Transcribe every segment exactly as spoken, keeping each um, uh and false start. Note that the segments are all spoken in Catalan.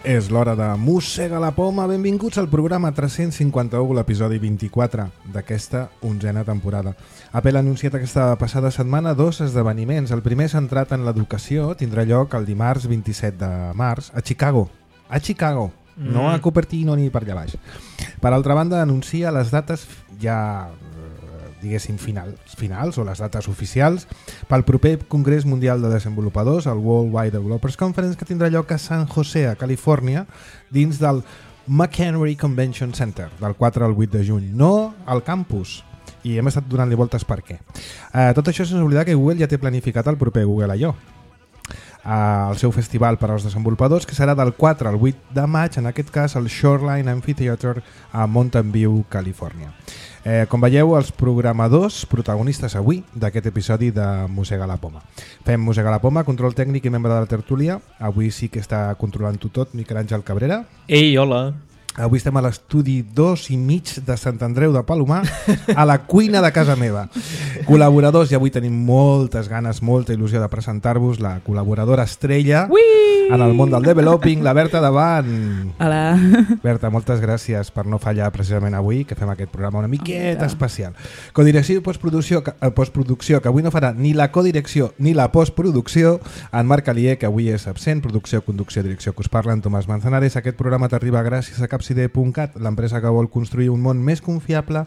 És l'hora de Mossega la Poma. Benvinguts al programa tres-cents cinquanta-u, l'episodi vint-i-quatre d'aquesta onzena temporada. Apple ha anunciat aquesta passada setmana dos esdeveniments. El primer, centrat en l'educació, tindrà lloc el dimarts vint-i-set de març a Chicago. A Chicago, mm. no a Cupertino ni per allà baix. Per altra banda, anuncia les dates ja... diguéssim, finals, finals o les dates oficials pel proper Congrés Mundial de Desenvolupadors, el World Wide Developers Conference, que tindrà lloc a San José, a Califòrnia, dins del McHenry Convention Center, del quatre al vuit de juny, no al campus. I hem estat donant-li voltes per què. Eh, tot això sense oblidar que Google ja té planificat el proper Google I O, eh, el seu festival per als desenvolupadors, que serà del quatre al vuit de maig, en aquest cas al Shoreline Amphitheater a Mountain View, Califòrnia. Eh, com veieu, els programadors protagonistes avui d'aquest episodi de Mossega la Poma. Fem Mossega la Poma, control tècnic i membre de la tertúlia. Avui sí que està controlant-ho tot Miquel Àngel Cabrera. Ei, hola. Avui estem a l'estudi dos i mig de Sant Andreu de Palomar, a la cuina de casa meva. Col·laboradors, i avui tenim moltes ganes, molta il·lusió de presentar-vos la col·laboradora estrella Ui! En el món del developing, la Berta Davant. Hola. Berta, moltes gràcies per no fallar precisament avui, que fem aquest programa una miqueta oh, especial. Codirecció i postproducció, postproducció, que avui no farà ni la codirecció ni la postproducció, en Marc Alier, que avui és absent, producció, conducció, direcció, que us parla en Tomàs Manzanares. Aquest programa t'arriba gràcies a capcide punt cat, l'empresa que vol construir un món més confiable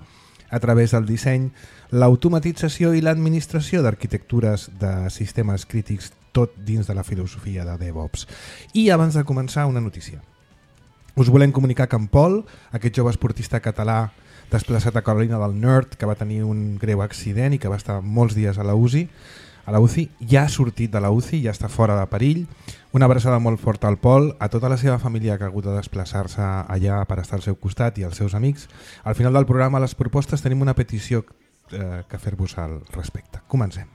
a través del disseny, l'automatització i l'administració d'arquitectures de sistemes crítics, tot dins de la filosofia de DevOps. I abans de començar, una notícia. Us volem comunicar que en Pol, aquest jove esportista català desplaçat a Carolina del Nord, que va tenir un greu accident i que va estar molts dies a la U C I, a la U C I, ja ha sortit de la U C I, ja està fora de perill. Una abraçada molt forta al Pol, a tota la seva família que ha hagut de desplaçar-se allà per estar al seu costat i als seus amics. Al final del programa, a les propostes, tenim una petició eh, que fer-vos al respecte. Comencem.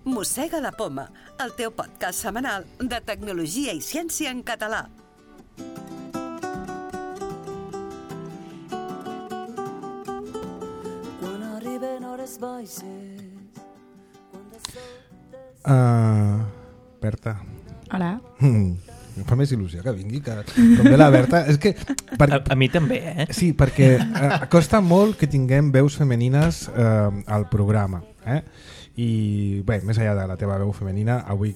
Mossega la Poma, el teu podcast setmanal de tecnologia i ciència en català. Uh, Berta. Hola. Mm, em fa més il·lusió que vingui, que com ve la Berta. És que, per... a, a mi també, eh? Sí, perquè uh, costa molt que tinguem veus femenines uh, al programa, eh? I bé, més enllà de la teva veu femenina, avui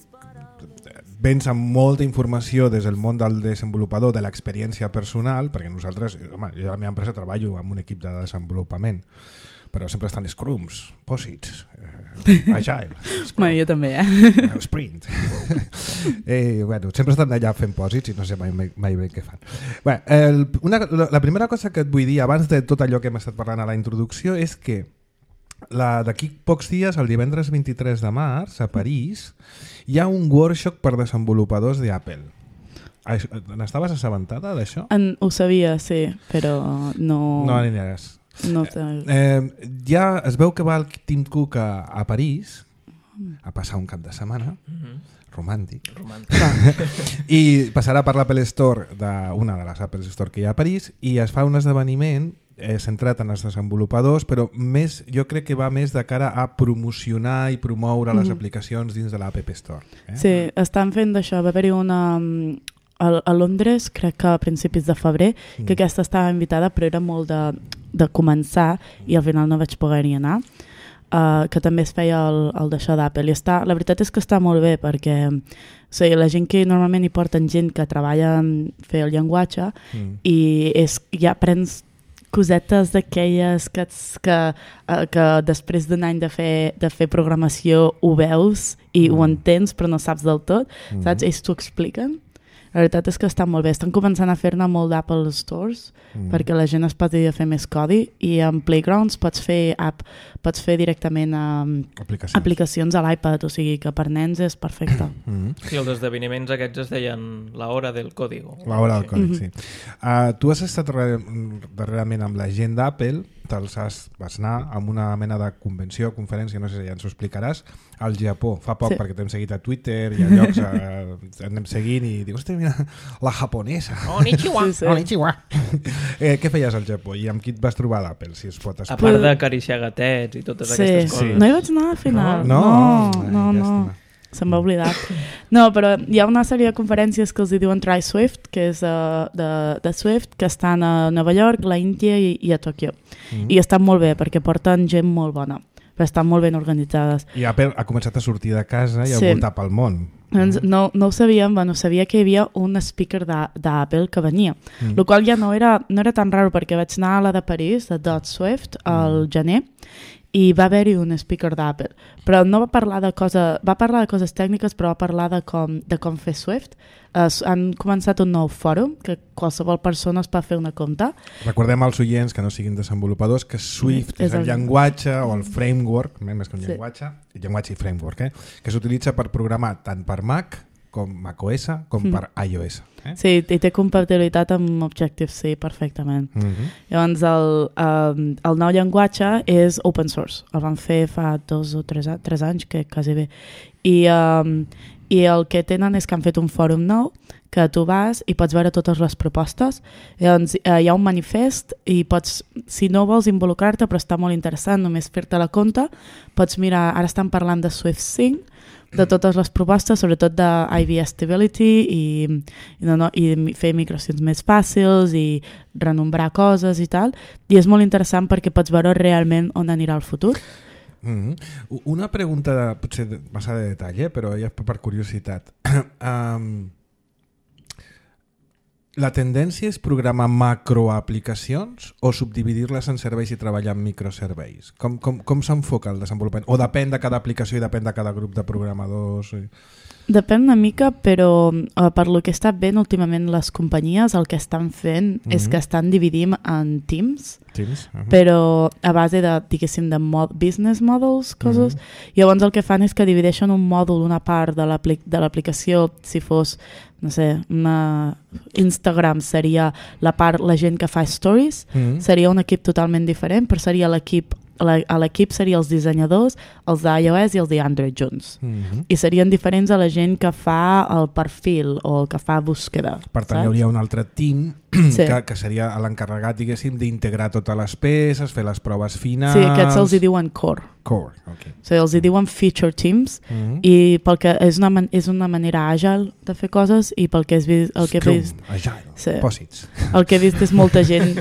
vens amb molta informació des del món del desenvolupador, de l'experiència personal, perquè nosaltres, home, jo a la meva empresa treballo amb un equip de desenvolupament, però sempre estan scrums, posits, eh, agile, bueno, jo també, eh? sprint. eh, bueno, sempre estan allà fent posits i no sé mai, mai, mai bé què fan. Bé, el, una, la primera cosa que et vull dir abans de tot allò que hem estat parlant a la introducció és que d'aquí pocs dies, el divendres vint-i-tres de març, a París, hi ha un workshop per desenvolupadors d'Apple. N'estaves assabentada d'això? En, ho sabia, sí, però no... No aniràs. No eh, eh, ja es veu que va el Tim Cook a, a París a passar un cap de setmana, mm-hmm. romàntic, romàntic. I passarà per l'Apple Store, de, una de les Apple Store que hi ha a París, i es fa un esdeveniment eh, centrat en els desenvolupadors, però més, jo crec que va més de cara a promocionar i promoure les mm-hmm. aplicacions dins de l'App Store. Eh? Sí, estan fent d'això. Va haver-hi una... A, a Londres, crec que a principis de febrer, mm. que aquesta estava invitada, però era molt de, de començar i al final no vaig poder-hi anar. Uh, que també es feia el, el d'això d'Apple. I està, la veritat és que està molt bé perquè o sigui, la gent que normalment hi porten gent que treballa en fer el llenguatge mm. i és, ja prens cosetes d'aquelles que, que, uh, que després d'un any de fer, de fer programació ho veus i mm. ho entens però no saps del tot, mm. saps? Ells t'ho expliquen. La veritat és que està molt bé. Estan començant a fer-ne molt d'Apple Stores mm. perquè la gent es poti a fer més codi i en Playgrounds pots fer app, pots fer directament um, aplicacions. aplicacions a l'iPad, o sigui que per nens és perfecte. Mm. Sí, els esdeveniments aquests es deien la hora del código. La hora del còdic, mm-hmm. sí. Uh, tu has estat re- darrerament amb la gent d'Apple te'ls has, vas anar a una mena de convenció, conferència, no sé si ja ens ho explicaràs, al Japó, fa poc, sí. perquè t'hem seguit a Twitter i a llocs, eh, anem seguint i dius, hosti, mira, la japonesa. Konnichiwa. Sí, sí. Konnichiwa. eh, què feies al Japó i amb qui et vas trobar d'Apple, si es pot A explicar? part d'acariciar gatets i totes sí. aquestes coses. Sí. No hi vaig anar al final. No? No, Ai, no, no. llàstima. Se'm va oblidar. No, però hi ha una sèrie de conferències que els hi diuen Try Swift, que és uh, de, de Swift, que estan a Nova York, la Índia i, i a Tòquio. Mm. I estan molt bé, perquè porten gent molt bona, però estan molt ben organitzades. I Apple ha començat a sortir de casa i a sí. voltar pel món. Doncs no, no ho sabíem, bueno, sabia que hi havia un speaker d'Apple que venia, mm. el qual ja no era, no era tan raro, perquè vaig anar a la de París, de Dot Swift, al mm. gener, i va haver-hi un speaker d'Apple, però no va parlar de cosa, va parlar de coses tècniques, però va parlar de com, de com fer Swift. Uh, han començat un nou fòrum que qualsevol persona es pot fer una compte. Recordem als oients que no siguin desenvolupadors que Swift sí, és, és el, el llenguatge o el framework, més que un sí. llenguatge, llenguatge i framework, eh? que s'utilitza per programar tant per Mac com macOS com mm. per iOS. Eh? Sí, i té compatibilitat amb Objective-C perfectament. Mm -hmm. Llavors el, um, el nou llenguatge és open source, el van fer fa dos o tres, tres anys, que quasi bé. I, um, I el que tenen és que han fet un fòrum nou que tu vas i pots veure totes les propostes. Llavors eh, hi ha un manifest i pots, si no vols involucrar-te però està molt interessant només fer-te la compte, pots mirar, ara estan parlant de Swift cinc, de totes les propostes, sobretot de I V Stability i, i, no, no, i fer migracions més fàcils i renombrar coses i tal, i és molt interessant perquè pots veure realment on anirà el futur. Mm-hmm. Una pregunta de, potser de, massa de detall, eh? Però ja per curiositat. um, la tendència és programar macroaplicacions o subdividir-les en serveis i treballar en microserveis? Com, com, com s'enfoca el desenvolupament? O depèn de cada aplicació i depèn de cada grup de programadors? I... Depèn una mica, però uh, per lo que està ben últimament les companyies el que estan fent mm-hmm. és que estan dividint en teams, teams? Uh-huh. però a base de, diguéssim, de mod- business models, coses. Mm-hmm. Llavors el que fan és que divideixen un mòdul, una part de, l'apli- de l'aplicació, si fos, no sé, una Instagram seria la part, la gent que fa stories, mm-hmm. seria un equip totalment diferent, però seria l'equip a l'equip seria els dissenyadors, els d'iOS i els d'Android junts. Mm-hmm. I serien diferents a la gent que fa el perfil o el que fa búsqueda. Per tant, saps? Hi hauria un altre team sí. que, que seria l'encarregat, diguéssim, d'integrar totes les peces, fer les proves finals... Sí, aquests els hi diuen core. Core, ok. O sigui, els hi diuen feature teams mm-hmm. i pel que és una, man- és una manera àgil de fer coses i pel que és vist... El que Scrum, vist, agile, sí. pòsits. El que he vist és molta gent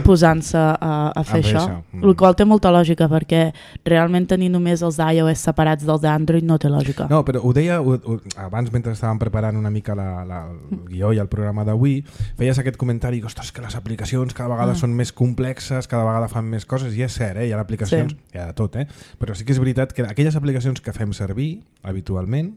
posant-se a, a fer això, això. Mm. El qual té molta lògica perquè realment tenir només els d'iOS separats dels d'Android no té lògica. No, però ho deia ho, ho, abans mentre estàvem preparant una mica la, la, el guió i el programa d'avui, feies aquest comentari que, ostres, que les aplicacions cada vegada mm. són més complexes, cada vegada fan més coses, i és cert, eh? Hi ha aplicacions, sí. hi ha de tot, eh? Però sí que és veritat que aquelles aplicacions que fem servir habitualment,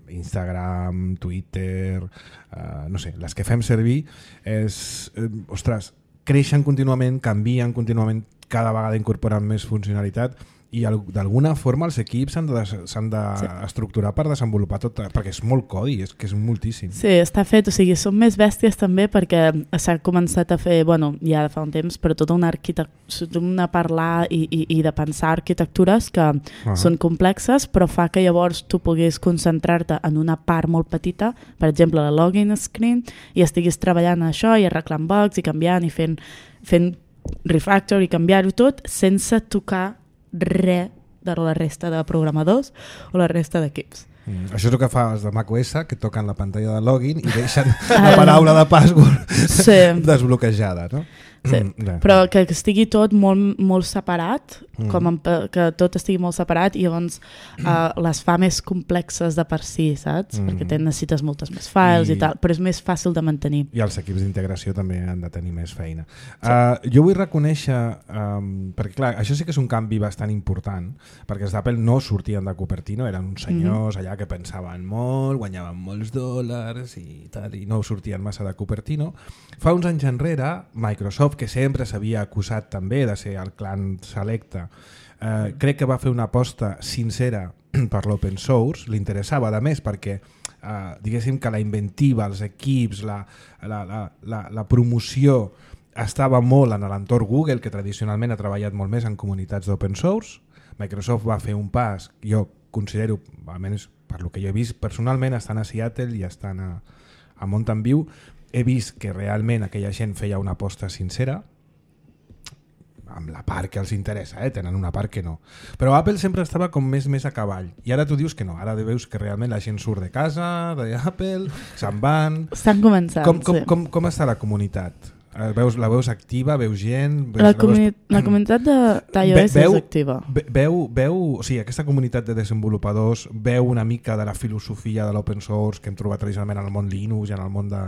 Instagram, Twitter, uh, no sé, les que fem servir, és, eh, ostres, creixen contínuament, canvien contínuament, cada vegada incorporen més funcionalitat i d'alguna forma els equips s'han de, s'han de sí. estructurar per desenvolupar tot, perquè és molt codi, és que és moltíssim. Sí, està fet, o sigui, són més bèsties també perquè s'ha començat a fer, bueno, ja fa un temps, però tota una arquitectura, una parlar i, i, i de pensar arquitectures que uh-huh. són complexes, però fa que llavors tu puguis concentrar-te en una part molt petita, per exemple, la login screen, i estiguis treballant en això i arreglant bugs i canviant i fent, fent refactor i canviar-ho tot sense tocar res de la resta de programadors o la resta d'equips. Mm, això és el que fa els de macOS, que toquen la pantalla de login i deixen la paraula de password sí. desbloquejada, no? Sí, mm, però que estigui tot molt, molt separat, mm. com en, que tot estigui molt separat i llavors uh, les fa més complexes de per si, saps? Mm. Perquè te necessites moltes més files I, i tal, però és més fàcil de mantenir. I els equips d'integració també han de tenir més feina. Sí. Uh, jo vull reconèixer, um, perquè clar, això sí que és un canvi bastant important, perquè els d'Apple no sortien de Cupertino, eren uns senyors mm-hmm. allà que pensaven molt, guanyaven molts dòlars i tal, i no sortien massa de Cupertino. Fa uns anys enrere, Microsoft, que sempre s'havia acusat també de ser el clan selecte, eh, crec que va fer una aposta sincera per l'open source, li interessava a més perquè eh, diguéssim que la inventiva, els equips, la, la, la, la, la promoció estava molt en l'entorn Google, que tradicionalment ha treballat molt més en comunitats d'open source. Microsoft va fer un pas, jo considero, almenys per lo que jo he vist personalment, estan a Seattle i estan a, a Mountain View, he vist que realment aquella gent feia una aposta sincera, amb la part que els interessa, eh? Tenen una part que no. Però Apple sempre estava com més més a cavall. I ara tu dius que no, ara veus que realment la gent surt de casa, d'Apple, se'n van... Estan començant, com, com, sí. Com, com està la comunitat? Veus, la veus activa? Veus gent? Veus, la, la, comuni veus... la comunitat d'iOS és activa. Veu, veu, o sigui, aquesta comunitat de desenvolupadors veu una mica de la filosofia de l'open source que hem trobat tradicionalment en el món Linux i en el món de...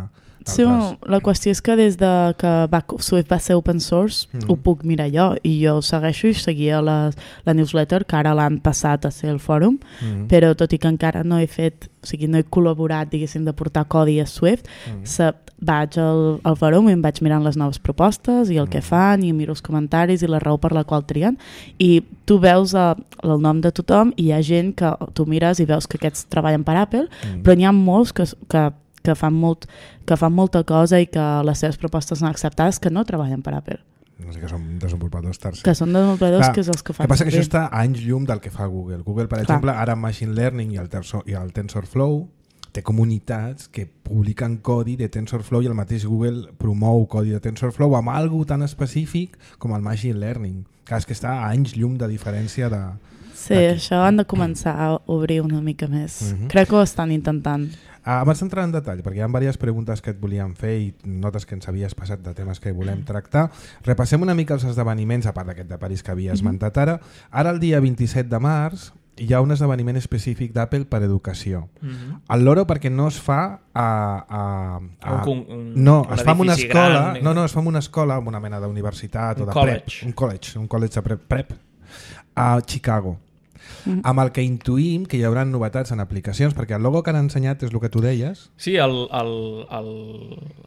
Sí, bueno, la qüestió és que des de que va, Swift va ser open source mm. ho puc mirar jo i jo ho segueixo i seguia les, la newsletter que ara l'han passat a ser el fòrum mm. però tot i que encara no he fet o sigui, no he col·laborat diguéssim de portar codi a Swift mm. se, vaig al, al fòrum i em vaig mirant les noves propostes i el mm. que fan i miro els comentaris i la raó per la qual trien i tu veus el, el nom de tothom i hi ha gent que tu mires i veus que aquests treballen per Apple mm. però n'hi ha molts que, que que fan, molt, que fan molta cosa i que les seves propostes són acceptades que no treballen per Apple. No sé, que són desenvolupadors tercers. Que són desenvolupadors Clar, que és els que fan. El que passa que això està a anys llum del que fa Google. Google, per Clar. exemple, ara amb Machine Learning i el, Tensor, i el TensorFlow té comunitats que publiquen codi de TensorFlow i el mateix Google promou codi de TensorFlow amb algo tan específic com el Machine Learning. Clar, és que està a anys llum de diferència de... Sí, això han de començar a obrir una mica més. Uh-huh. Crec que ho estan intentant. Ah, abans d'entrar en detall, perquè hi ha diverses preguntes que et volíem fer i notes que ens havies passat de temes que volem tractar, repassem una mica els esdeveniments, a part d'aquest de París que havia esmentat ara. Ara, el dia vint-i-set de març, hi ha un esdeveniment específic d'Apple per educació. Uh-huh. El loro perquè no es fa a... a, a un, un, no, es fa en una escola, gran, no, no, es fa en una escola, en una mena d'universitat o de college. prep, un college, un college de prep, prep a Chicago. Mm. Amb el que intuïm que hi haurà novetats en aplicacions, perquè el logo que han ensenyat és el que tu deies. Sí, el, el, el,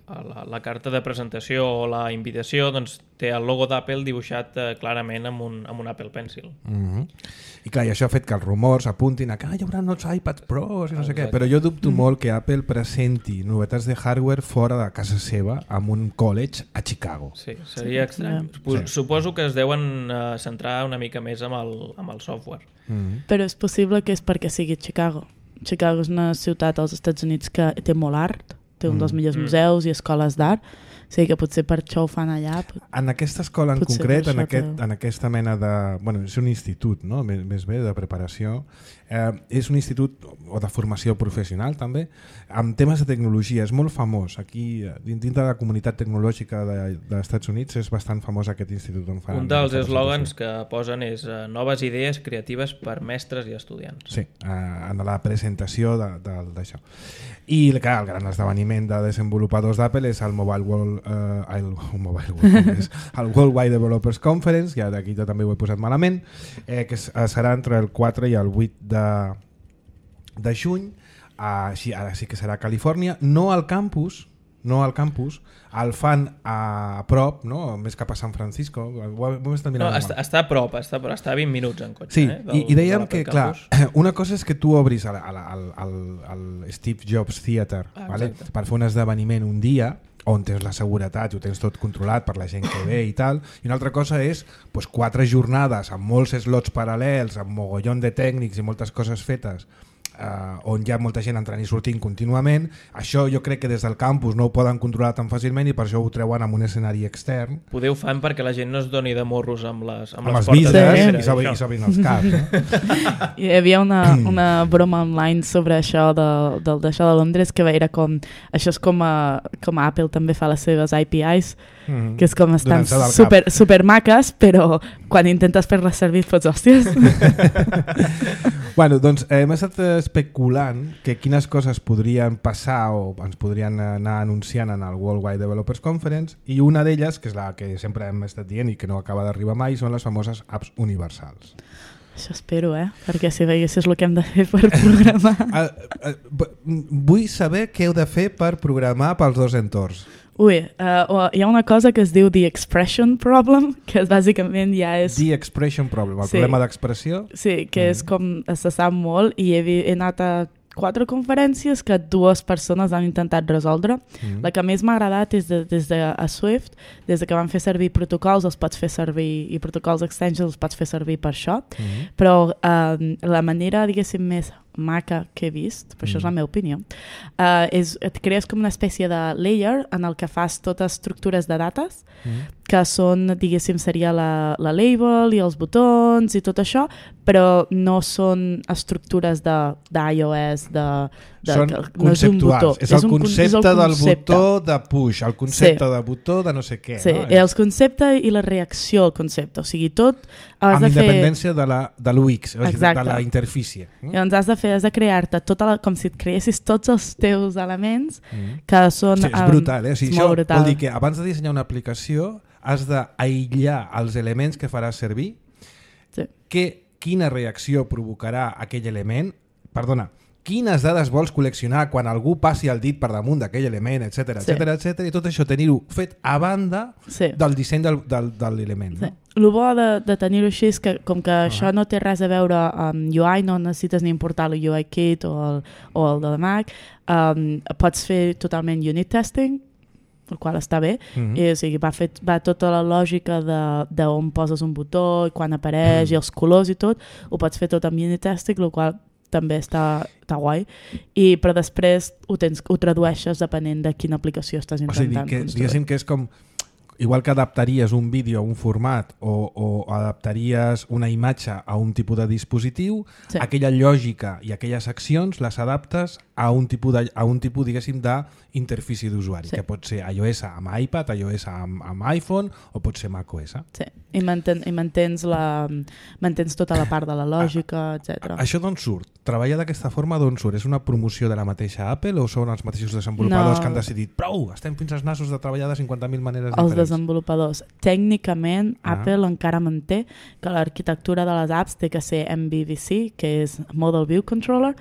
la, la carta de presentació o la invitació doncs, té el logo d'Apple dibuixat eh, clarament amb un, amb un Apple Pencil. Mm-hmm. I clar, i això ha fet que els rumors apuntin a que ah, hi haurà uns iPads Pros i no sé què, però jo dubto mm. molt que Apple presenti novetats de hardware fora de casa seva amb un college a Chicago. Sí, seria sí, estrany. Sí. Suposo que es deuen uh, centrar una mica més amb el, amb el software. Mm. Però és possible que és perquè sigui Chicago. Chicago és una ciutat als Estats Units que té molt art, té un mm. dels millors museus i escoles d'art, o sigui que potser per això ho fan allà. En aquesta escola en concret, en, aquest, en aquesta mena de... Bueno, és un institut, no? Més, més bé, de preparació. Eh, és un institut o de formació professional, també, amb temes de tecnologia. És molt famós. Aquí, dins de la comunitat tecnològica de, dels Estats Units, és bastant famós aquest institut on fan... Un dels eslògans que posen és uh, noves idees creatives per mestres i estudiants. Sí, eh, en la presentació d'això. I clar, el gran esdeveniment de desenvolupadors d'Apple és el Mobile World, uh, el, Mobile World és el Worldwide Developers Conference, ja d'aquí també ho he posat malament, eh, que serà entre el quatre i el vuit de, de juny, uh, sí, ara sí que serà a Califòrnia, no al campus, no al campus, el fan a prop, no? Més cap a San Francisco. Ho hem estat mirant. No, està, està a prop, està, però està a vint minuts en cotxe. Sí, eh, del, i, i dèiem que, clar, campus. Una cosa és que tu obris al, al, al, al Steve Jobs Theater, ah, vale? Per fer un esdeveniment un dia on tens la seguretat i ho tens tot controlat per la gent que ve i tal, i una altra cosa és pues, quatre jornades amb molts slots paral·lels, amb mogollon de tècnics i moltes coses fetes, Uh, on hi ha molta gent entrant i sortint contínuament. Això jo crec que des del campus no ho poden controlar tan fàcilment i per això ho treuen en un escenari extern. Poder ho fan perquè la gent no es doni de morros amb les, amb amb les portes vides i s'obrin sí. els caps. No? Hi havia una, una broma online sobre això de, de, d'això de Londres que era com, això és com, a, com a Apple també fa les seves A P Is, mm-hmm. que és com estan super, super maques, però quan intentes fer-les servir fots hòsties. Bueno, doncs hem estat especulant que quines coses podrien passar o ens podrien anar anunciant en el Worldwide Developers Conference, i una d'elles, que és la que sempre hem estat dient i que no acaba d'arribar mai, són les famoses apps universals. Això espero, eh? Perquè si veiessis el que hem de fer per programar... uh, uh, vull saber què heu de fer per programar pels dos entorns. Ui, uh, hi ha una cosa que es diu The Expression Problem, que és, bàsicament ja és... The Expression Problem, el sí. problema d'expressió? Sí, que mm. és com se sap molt, i he, he anat a quatre conferències que dues persones han intentat resoldre. Mm. La que més m'ha agradat és de, des de a Swift, des de que van fer servir protocols, els pots fer servir, i protocols extensions els pots fer servir per això, mm. però eh, la manera, diguéssim, més maca que he vist, però mm. això és la meva opinió, uh, és, et crees com una espècie de layer en el que fas totes estructures de dates, mm. que són, diguéssim, seria la, la label i els botons i tot això, però no són estructures d'iOS, de, de, són que, no conceptuals, és, un botó, és, el és, un, concepte és el concepte del botó de push, el concepte sí. de botó de no sé què. Sí, no? el concepte i la reacció al concepte, o sigui, tot has amb de independència fer... de, la, de l'U X, o sigui, de la interfície. Mm? Llavors has de fer, has de crear-te tota la, com si et creessis tots els teus elements mm. que són... Sí, és brutal, eh? O sigui, això brutal. Vol dir que abans de dissenyar una aplicació has d'aïllar els elements que faràs servir, sí. que, quina reacció provocarà aquell element, perdona, quines dades vols col·leccionar quan algú passi el dit per damunt d'aquell element, etcètera, sí. etcètera, etcètera, i tot això tenir-ho fet a banda sí. del disseny del, del, de l'element. Sí. No? El bo de, de tenir-ho així és que com que uh -huh. això no té res a veure amb U I, no necessites ni importar el U I Kit o el, o el de Mac, um, pots fer totalment unit testing, el qual està bé, uh-huh. I, o sigui, va, fet, va tota la lògica d'on poses un botó i quan apareix uh-huh. i els colors i tot, ho pots fer tot amb unit testing, el qual també està, està guai, I, però després ho, tens, ho tradueixes depenent de quina aplicació estàs intentant. O sigui, que, diguéssim que és com igual que adaptaries un vídeo a un format o, o adaptaries una imatge a un tipus de dispositiu, sí. aquella lògica i aquelles accions les adaptes a un tipus, de, a un tipus diguéssim, d'interfície d'usuari, sí. que pot ser iOS amb iPad, iOS amb, amb iPhone o pot ser macOS. Sí, i, manten, i mantens, la, mantens tota la part de la lògica, etcètera. Això d'on surt? Treballar d'aquesta forma d'on surt? És una promoció de la mateixa Apple o són els mateixos desenvolupadors no. que han decidit prou, estem fins als nassos de treballar de cinquanta mil maneres els diferents? Els desenvolupadors. Tècnicament, ah. Apple encara manté que l'arquitectura de les apps té que ser M V V C, que és Model View Controller,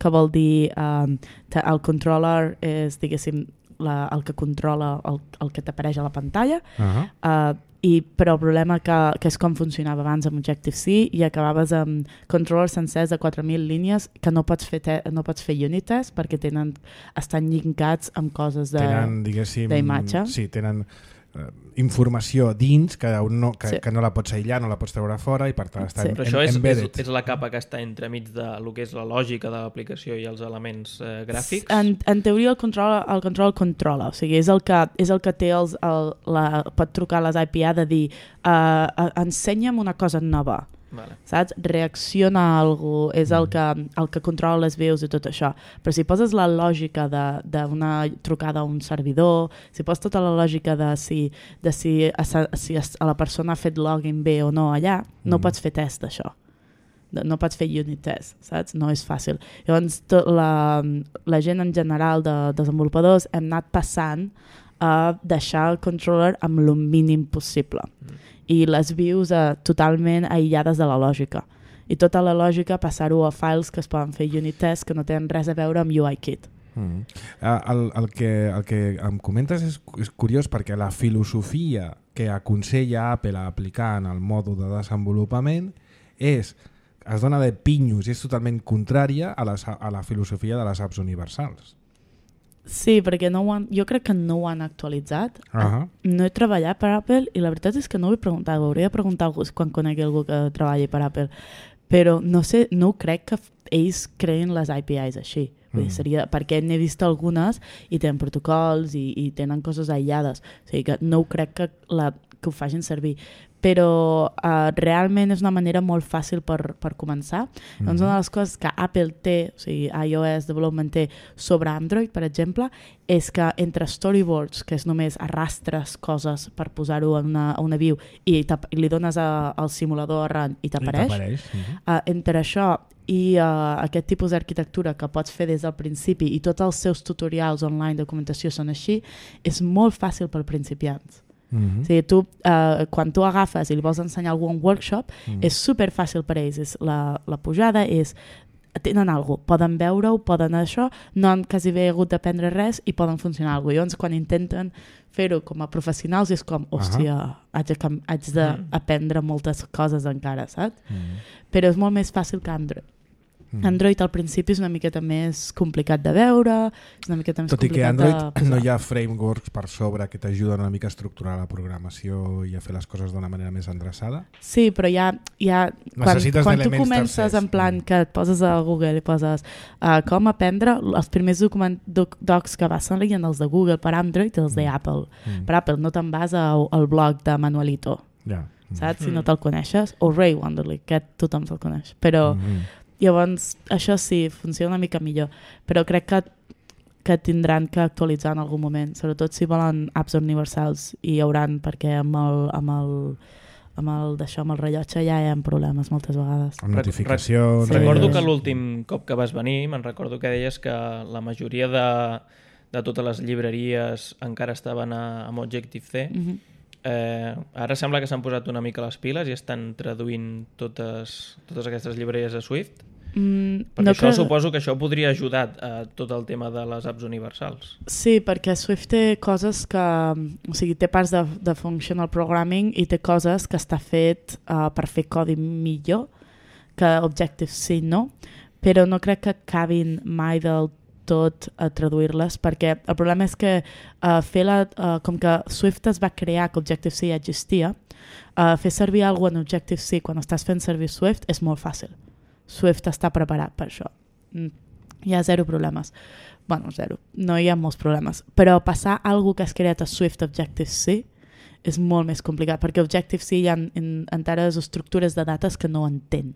que vol dir um, el controller és, diguéssim, la, el que controla el, el que t'apareix a la pantalla, uh-huh. uh, i, però el problema que, que és com funcionava abans amb Objective-C i acabaves amb controllers sencers de quatre mil línies que no pots fer, te, no pots fer unit test perquè tenen, estan llinkats amb coses d'imatge. Sí, tenen uh, informació dins que no, que, sí. que no la pots aïllar, no la pots treure fora i per tant està sí. en, Però això és, és, és la capa que està entremig de lo que és la lògica de l'aplicació i els elements eh, gràfics? En, en teoria el control el control controla, o sigui, és el que, és el que té els, el, la, pot trucar a les A P I de dir uh, ensenya'm una cosa nova. Vale. Saps? Reacciona a algú, és el que, el que controla les veus i tot això. Però si poses la lògica d'una trucada a un servidor, si poses tota la lògica de si, de si, a, si a la persona ha fet login bé o no allà, no mm. pots fer test d'això. No pots fer unit test, saps? No és fàcil. Llavors, tot la, la gent en general de desenvolupadors hem anat passant a deixar el controller amb el mínim possible. Mm. I les views uh, totalment aïllades de la lògica. I tota la lògica passar-ho a files que es poden fer unit test que no tenen res a veure amb U I Kit. Mm. El, el, que, el que em comentes és, és curiós perquè la filosofia que aconsella Apple a aplicar en el mòdul de desenvolupament és, es dona de pinyos i és totalment contrària a, les, a la filosofia de les apps universals. Sí, perquè no ho han, jo crec que no ho han actualitzat. Uh-huh. No he treballat per Apple i la veritat és que no ho he preguntat. Ho hauria de preguntar algú quan conegui algú que treballi per Apple. Però no sé, no crec que ells creïn les A P Is així. Vull dir, seria, perquè n'he vist algunes i tenen protocols i, i tenen coses aïllades. O sigui que no crec que, la, que ho facin servir. Però uh, realment és una manera molt fàcil per, per començar. Mm-hmm. Doncs una de les coses que Apple té, o sigui, iOS Development té sobre Android, per exemple, és que entre storyboards, que és només arrastres coses per posar-ho en una, una view i, i li dones a, al simulador a run i t'apareix, mm-hmm. uh, entre això i uh, aquest tipus d'arquitectura que pots fer des del principi i tots els seus tutorials online de documentació són així, és molt fàcil per principiants. Mm-hmm. O sigui, tu, uh, quan tu agafes i li vols ensenyar a algú un workshop, mm-hmm. és super fàcil per ells. És la, la pujada és, tenen alguna cosa, poden veure-ho, poden això, no han quasi bé hagut d'aprendre res i poden funcionar alguna cosa. Llavors, quan intenten fer-ho com a professionals és com, hòstia, uh-huh. haig, de, haig d'aprendre moltes coses encara, saps? Mm-hmm. Però és molt més fàcil que Android. Mm. Android al principi és una miqueta més complicat de veure, és una miqueta més Tot i que complicat Android de posar. no hi ha frameworks per sobre que t'ajuden una mica a estructurar la programació i a fer les coses d'una manera més endreçada. Sí, però hi ha... Hi ha quan Necessites quan tu d'elements comences tercers. en plan que et poses a Google i poses uh, com aprendre, els primers document, doc, docs que vas serien els de Google per Android i els de Apple. Mm. Per Apple no te'n vas a, al blog de Manuelito, Ja. saps? Mm. Si no te'l coneixes. O Ray Wonderly, que tothom se'l coneix. Però Mm. llavors això sí, funciona una mica millor. Però crec que que tindran que actualitzar en algun moment, sobretot si volen apps universals, i hi hauran, perquè amb el, amb el, amb el, d'això, amb el rellotge ja hi ha problemes moltes vegades. Amb notificacions... Sí. Recordo Sí. que l'últim cop que vas venir, me'n recordo que deies que la majoria de, de totes les llibreries encara estaven a, amb Objective-C. Mm-hmm. Eh, ara sembla que s'han posat una mica les piles i estan traduint totes, totes aquestes llibreries a Swift. Mm, Perquè no això que... suposo que això podria ajudar a tot el tema de les apps universals. Sí, perquè Swift té coses que... O sigui, té parts de, de functional programming i té coses que està fet uh, per fer codi millor que Objective-C, no? Però no crec que acabin mai del tot a traduir-les, perquè el problema és que uh, fer la, uh, com que Swift es va crear, que Objective-C ja existia, uh, fer servir alguna en Objective-C quan estàs fent servir Swift és molt fàcil. Swift està preparat per això. Mm. Hi ha zero problemes. Bueno, zero. No hi ha molts problemes. Però passar alguna que has creat a Swift Objective-C és molt més complicat, perquè Objective-C hi ha en, enteres estructures de dates que no entén.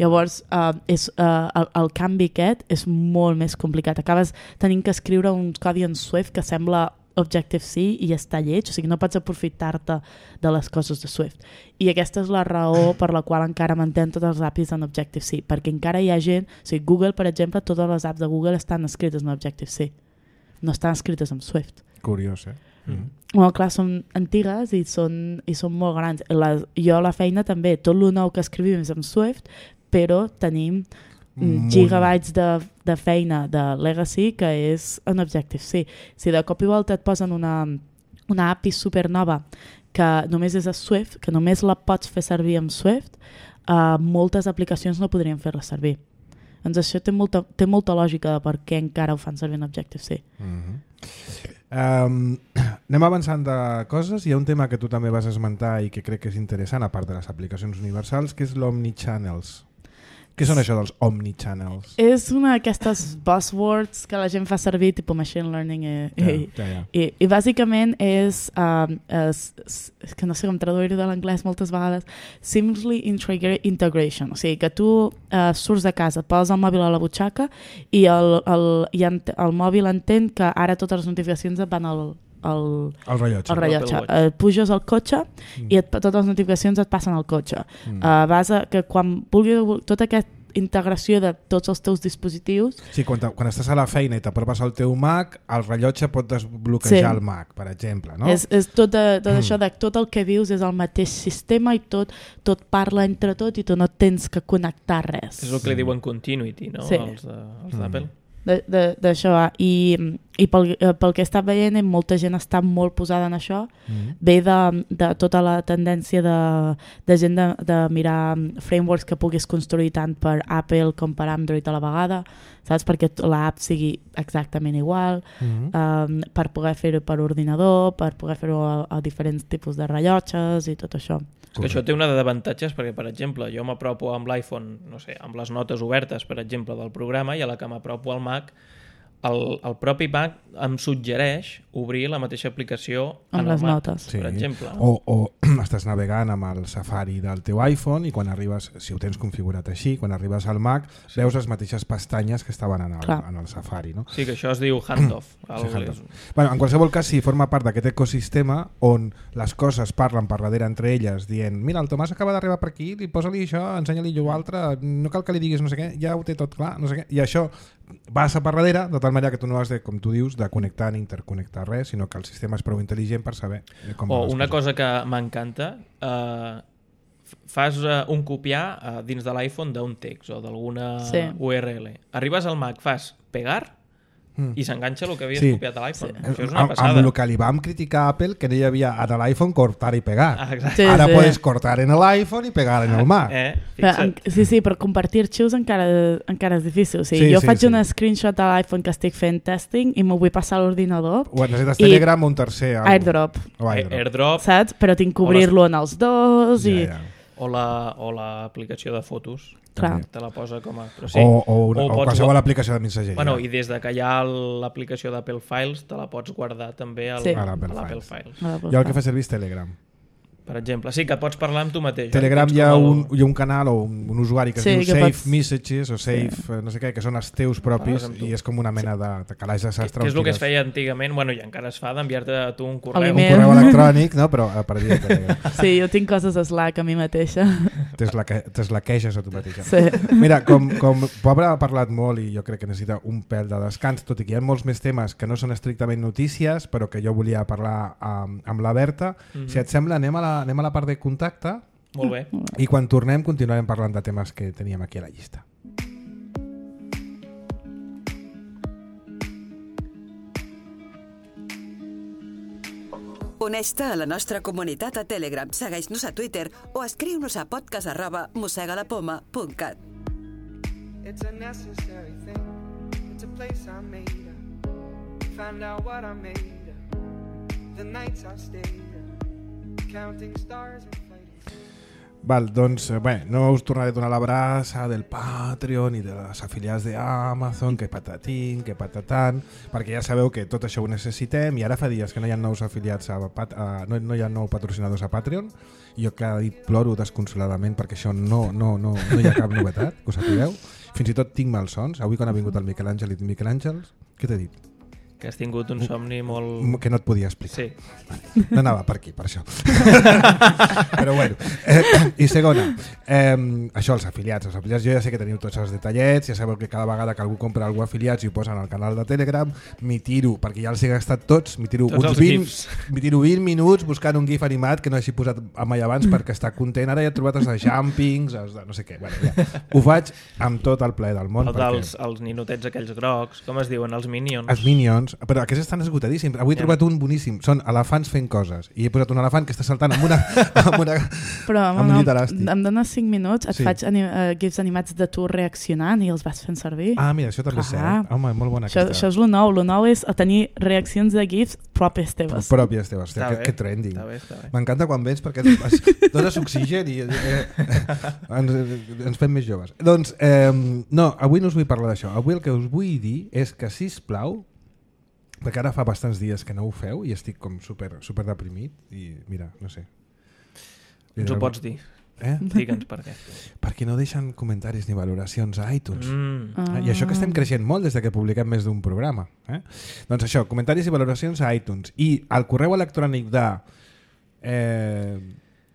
Llavors, uh, és, uh, el, el canvi aquest és molt més complicat. Acabes tenint que escriure un codi en Swift que sembla Objective-C i està lleig, o sigui, no pots aprofitar-te de les coses de Swift. I aquesta és la raó per la qual encara mantén tots els A P Is en Objective-C, perquè encara hi ha gent, o sigui, Google, per exemple, totes les apps de Google estan escrites en Objective-C, no estan escrites en Swift. Curiós, eh? Mm. Bueno, clar, són antigues i són, i són molt grans. La, jo a la feina també, tot el nou que escrivim és en Swift, però tenim Molt. gigabytes de, de feina de Legacy que és en Objective-C. Si de cop i volta et posen una, una A P I supernova que només és a Swift, que només la pots fer servir amb Swift, uh, moltes aplicacions no podrien fer-la servir. Doncs això té molta, té molta lògica de per què encara ho fan servir en Objective-C. Mm-hmm. Um, anem avançant de coses. Hi ha un tema que tu també vas esmentar i que crec que és interessant, a part de les aplicacions universals, que és l'Omnichannels. Què són això dels Omnichannels? És una d'aquestes buzzwords que la gent fa servir, tipus machine learning, i, Ja, i, ja, ja. i, i bàsicament és, um, és, és que no sé com traduir-ho de l'anglès moltes vegades, seamlessly integra- integration, o sigui que tu uh, surts de casa, poses el mòbil a la butxaca i el, el, i ent, el mòbil entén que ara totes les notificacions et van al, al, El rellotge. el rellotge. Apple Watch. Uh, puges al cotxe Mm. i et, totes les notificacions et passen al cotxe. Mm. Uh, vas a, que quan vulguis, tota aquesta integració de tots els teus dispositius. Sí, quan, te, quan estàs a la feina i t'apropes al teu Mac, el rellotge pot desbloquejar Sí. el Mac, per exemple, no? És, és tot, de, tot Mm. això de tot el que vius és el mateix sistema i tot, tot parla entre tot i tu no tens que connectar res. És el que li diuen continuity, no? Sí. Els de- els Mm. d'Apple. De- de- D'això va. I, i pel, eh, pel que he estat veient, molta gent està molt posada en això. Mm. Ve de, de tota la tendència de, de gent de, de mirar frameworks que puguis construir tant per Apple com per Android a la vegada, saps? Perquè l'app sigui exactament igual, Mm. um, per poder fer-ho per ordinador, per poder fer-ho a, a diferents tipus de rellotges i tot això. És que això té una d'avantatges perquè, per exemple, jo m'apropo amb l'iPhone, no sé, amb les notes obertes, per exemple, del programa, i a la que m'apropo al Mac, el, el propi Mac em suggereix obrir la mateixa aplicació Amb en les el Mac, notes. Sí. per exemple. O, o estàs navegant amb el Safari del teu iPhone i quan arribes, si ho tens configurat així, quan arribes al Mac, sí. veus les mateixes pestanyes que estaven en el, Clar. en el Safari, no? Sí, que això es diu handoff. Sí, El- handoff. Bueno, en qualsevol cas, sí, forma part d'aquest ecosistema on les coses parlen per darrere entre elles, dient, mira, el Tomàs acaba d'arribar per aquí, li posa-li això, ensenya-li allò altre, no cal que li diguis no sé què, ja ho té tot clar, no sé què, i això passa per darrere, de tal manera que tu no has de, com tu dius, de connectar ni interconnectar res, sinó que el sistema és prou intel·ligent per saber com O van les una coses. cosa que m'encanta, eh, fas eh, un copiar eh, dins de l'iPhone d'un text o d'alguna Sí. U R L. Arribes al Mac, fas pegar mm. i s'enganxa el que havies sí. copiat a l'iPhone. Sí. Això és una amb, passada. amb el que li vam criticar a Apple, que no hi havia a l'iPhone cortar i pegar. Ah, sí, Ara sí. podes cortar en l'iPhone i pegar en el Mac. Eh, Però, en, sí, sí, però compartir arxius encara, encara és difícil. O sigui, Sí, jo sí, faig sí. una screenshot a l'iPhone que estic fent testing i m'ho vull passar a l'ordinador. O necessites I- Telegram o un tercer. algo. AirDrop, O AirDrop. AirDrop saps? Però tinc que obrir-lo en els dos i... Ja, ja. o la- o l'aplicació de fotos. Clar. Te la posa com a... Però sí. O, o, una, O o, pots qualsevol gua- aplicació de mensageria. Bueno, i des de que hi ha l'aplicació d'Apple Files, te la pots guardar també al, Sí. a A l'Apple l'Apple Files. Files. Jo el que fa servir és Telegram. Per exemple. Sí, que pots parlar amb tu mateix. eh? Telegram Tens hi ha com el- un, hi ha un canal o un, un usuari que es Sí, diu que Save pots- Messages o Save, sí. no sé què, que són els teus propis Parles amb tu. i és com una mena de, de calaix de Que, sastre. que és el que es on tires feia antigament, bueno, i encara es fa, d'enviar-te a tu un correu. A un l'email. correu electrònic, no? Però a partir de Telegram. Sí, jo tinc coses a Slack a mi mateixa. T'eslaqueges a tu mateixa. Sí. Mira, com, com Pobre ha parlat molt i jo crec que necessita un pèl de descans, tot i que hi ha molts més temes que no són estrictament notícies, però que jo volia parlar amb, amb la Berta. Mhm. Si et sembla, anem a la, anem a la part de contacte Molt bé. i quan tornem continuarem parlant de temes que teníem aquí a la llista. Uneix-te a la nostra comunitat a Telegram, segueix-nos a Twitter o escriu-nos a podcast arroba mossegalapoma punt cat. It's a necessary thing. It's a place I made up. Find out what I made up. The nights I stayed up. Counting stars and fighting. Val, doncs, eh, bé, no us tornaré a donar l'abraça del Patreon i de les afiliats d'Amazon, que patatín, que patatan, perquè ja sabeu que tot això ho necessitem i ara fa dies que no hi ha nous afiliats, a, Pat- a, no, no hi ha nous patrocinadors a Patreon i jo cada dit ploro desconsoladament perquè això no, no, no, no hi ha cap novetat, que ho sapigueu. Fins i tot tinc malsons. Avui quan ha vingut el Miquel Àngel i el Miquel Àngels, què t'he dit? Que has tingut un somni molt... Que no et podia explicar. Sí. No anava per aquí, per això. Però bueno. Eh, I segona, eh, això, els afiliats. Els afiliats, jo ja sé que teniu tots els detallets, ja sabeu que cada vegada que algú compra algú afiliats i ho posen al canal de Telegram, m'hi tiro, perquè ja els he gastat tots, m'hi tiro, Tots uns els vint, gifs. m'hi tiro vint minuts buscant un gif animat que no hagi posat mai abans perquè està content. Ara ja he trobat els de jumpings, els de no sé què. Bueno, ja. Ho faig amb tot el plaer del món. El dels els ninotets aquells grocs, com es diuen? Els Minions. Els Minions, però aquests estan esgotadíssims. Avui he Ja. trobat un boníssim. Són elefants fent coses. I he posat un elefant que està saltant amb una... amb una Però amb un no, llit elàstic. em dones cinc minuts, et Sí. sí. faig anim uh, gifs animats de tu reaccionant i els vas fent servir. Ah, mira, això també és Clar. cert. Home, molt bona això, aquesta. això és lo nou. Lo nou és tenir reaccions de gifs pròpies teves. Pròpies teves. Està Que, bé, que trending. Està bé, està bé. M'encanta quan vens perquè es, es dones oxigen i eh, ens, ens fem més joves. Doncs, eh, no, avui no us vull parlar d'això. Avui el que us vull dir és que, sisplau, perquè ara fa bastants dies que no ho feu i estic com super, super deprimit i mira, no sé. Li Ens ho doneu- pots dir. Eh? Digue'ns per què. Perquè no deixen comentaris ni valoracions a iTunes. Mm. Ah. I això que estem creixent molt des de que publiquem més d'un programa. Eh? Doncs això, comentaris i valoracions a iTunes. I al correu electrònic de... Eh,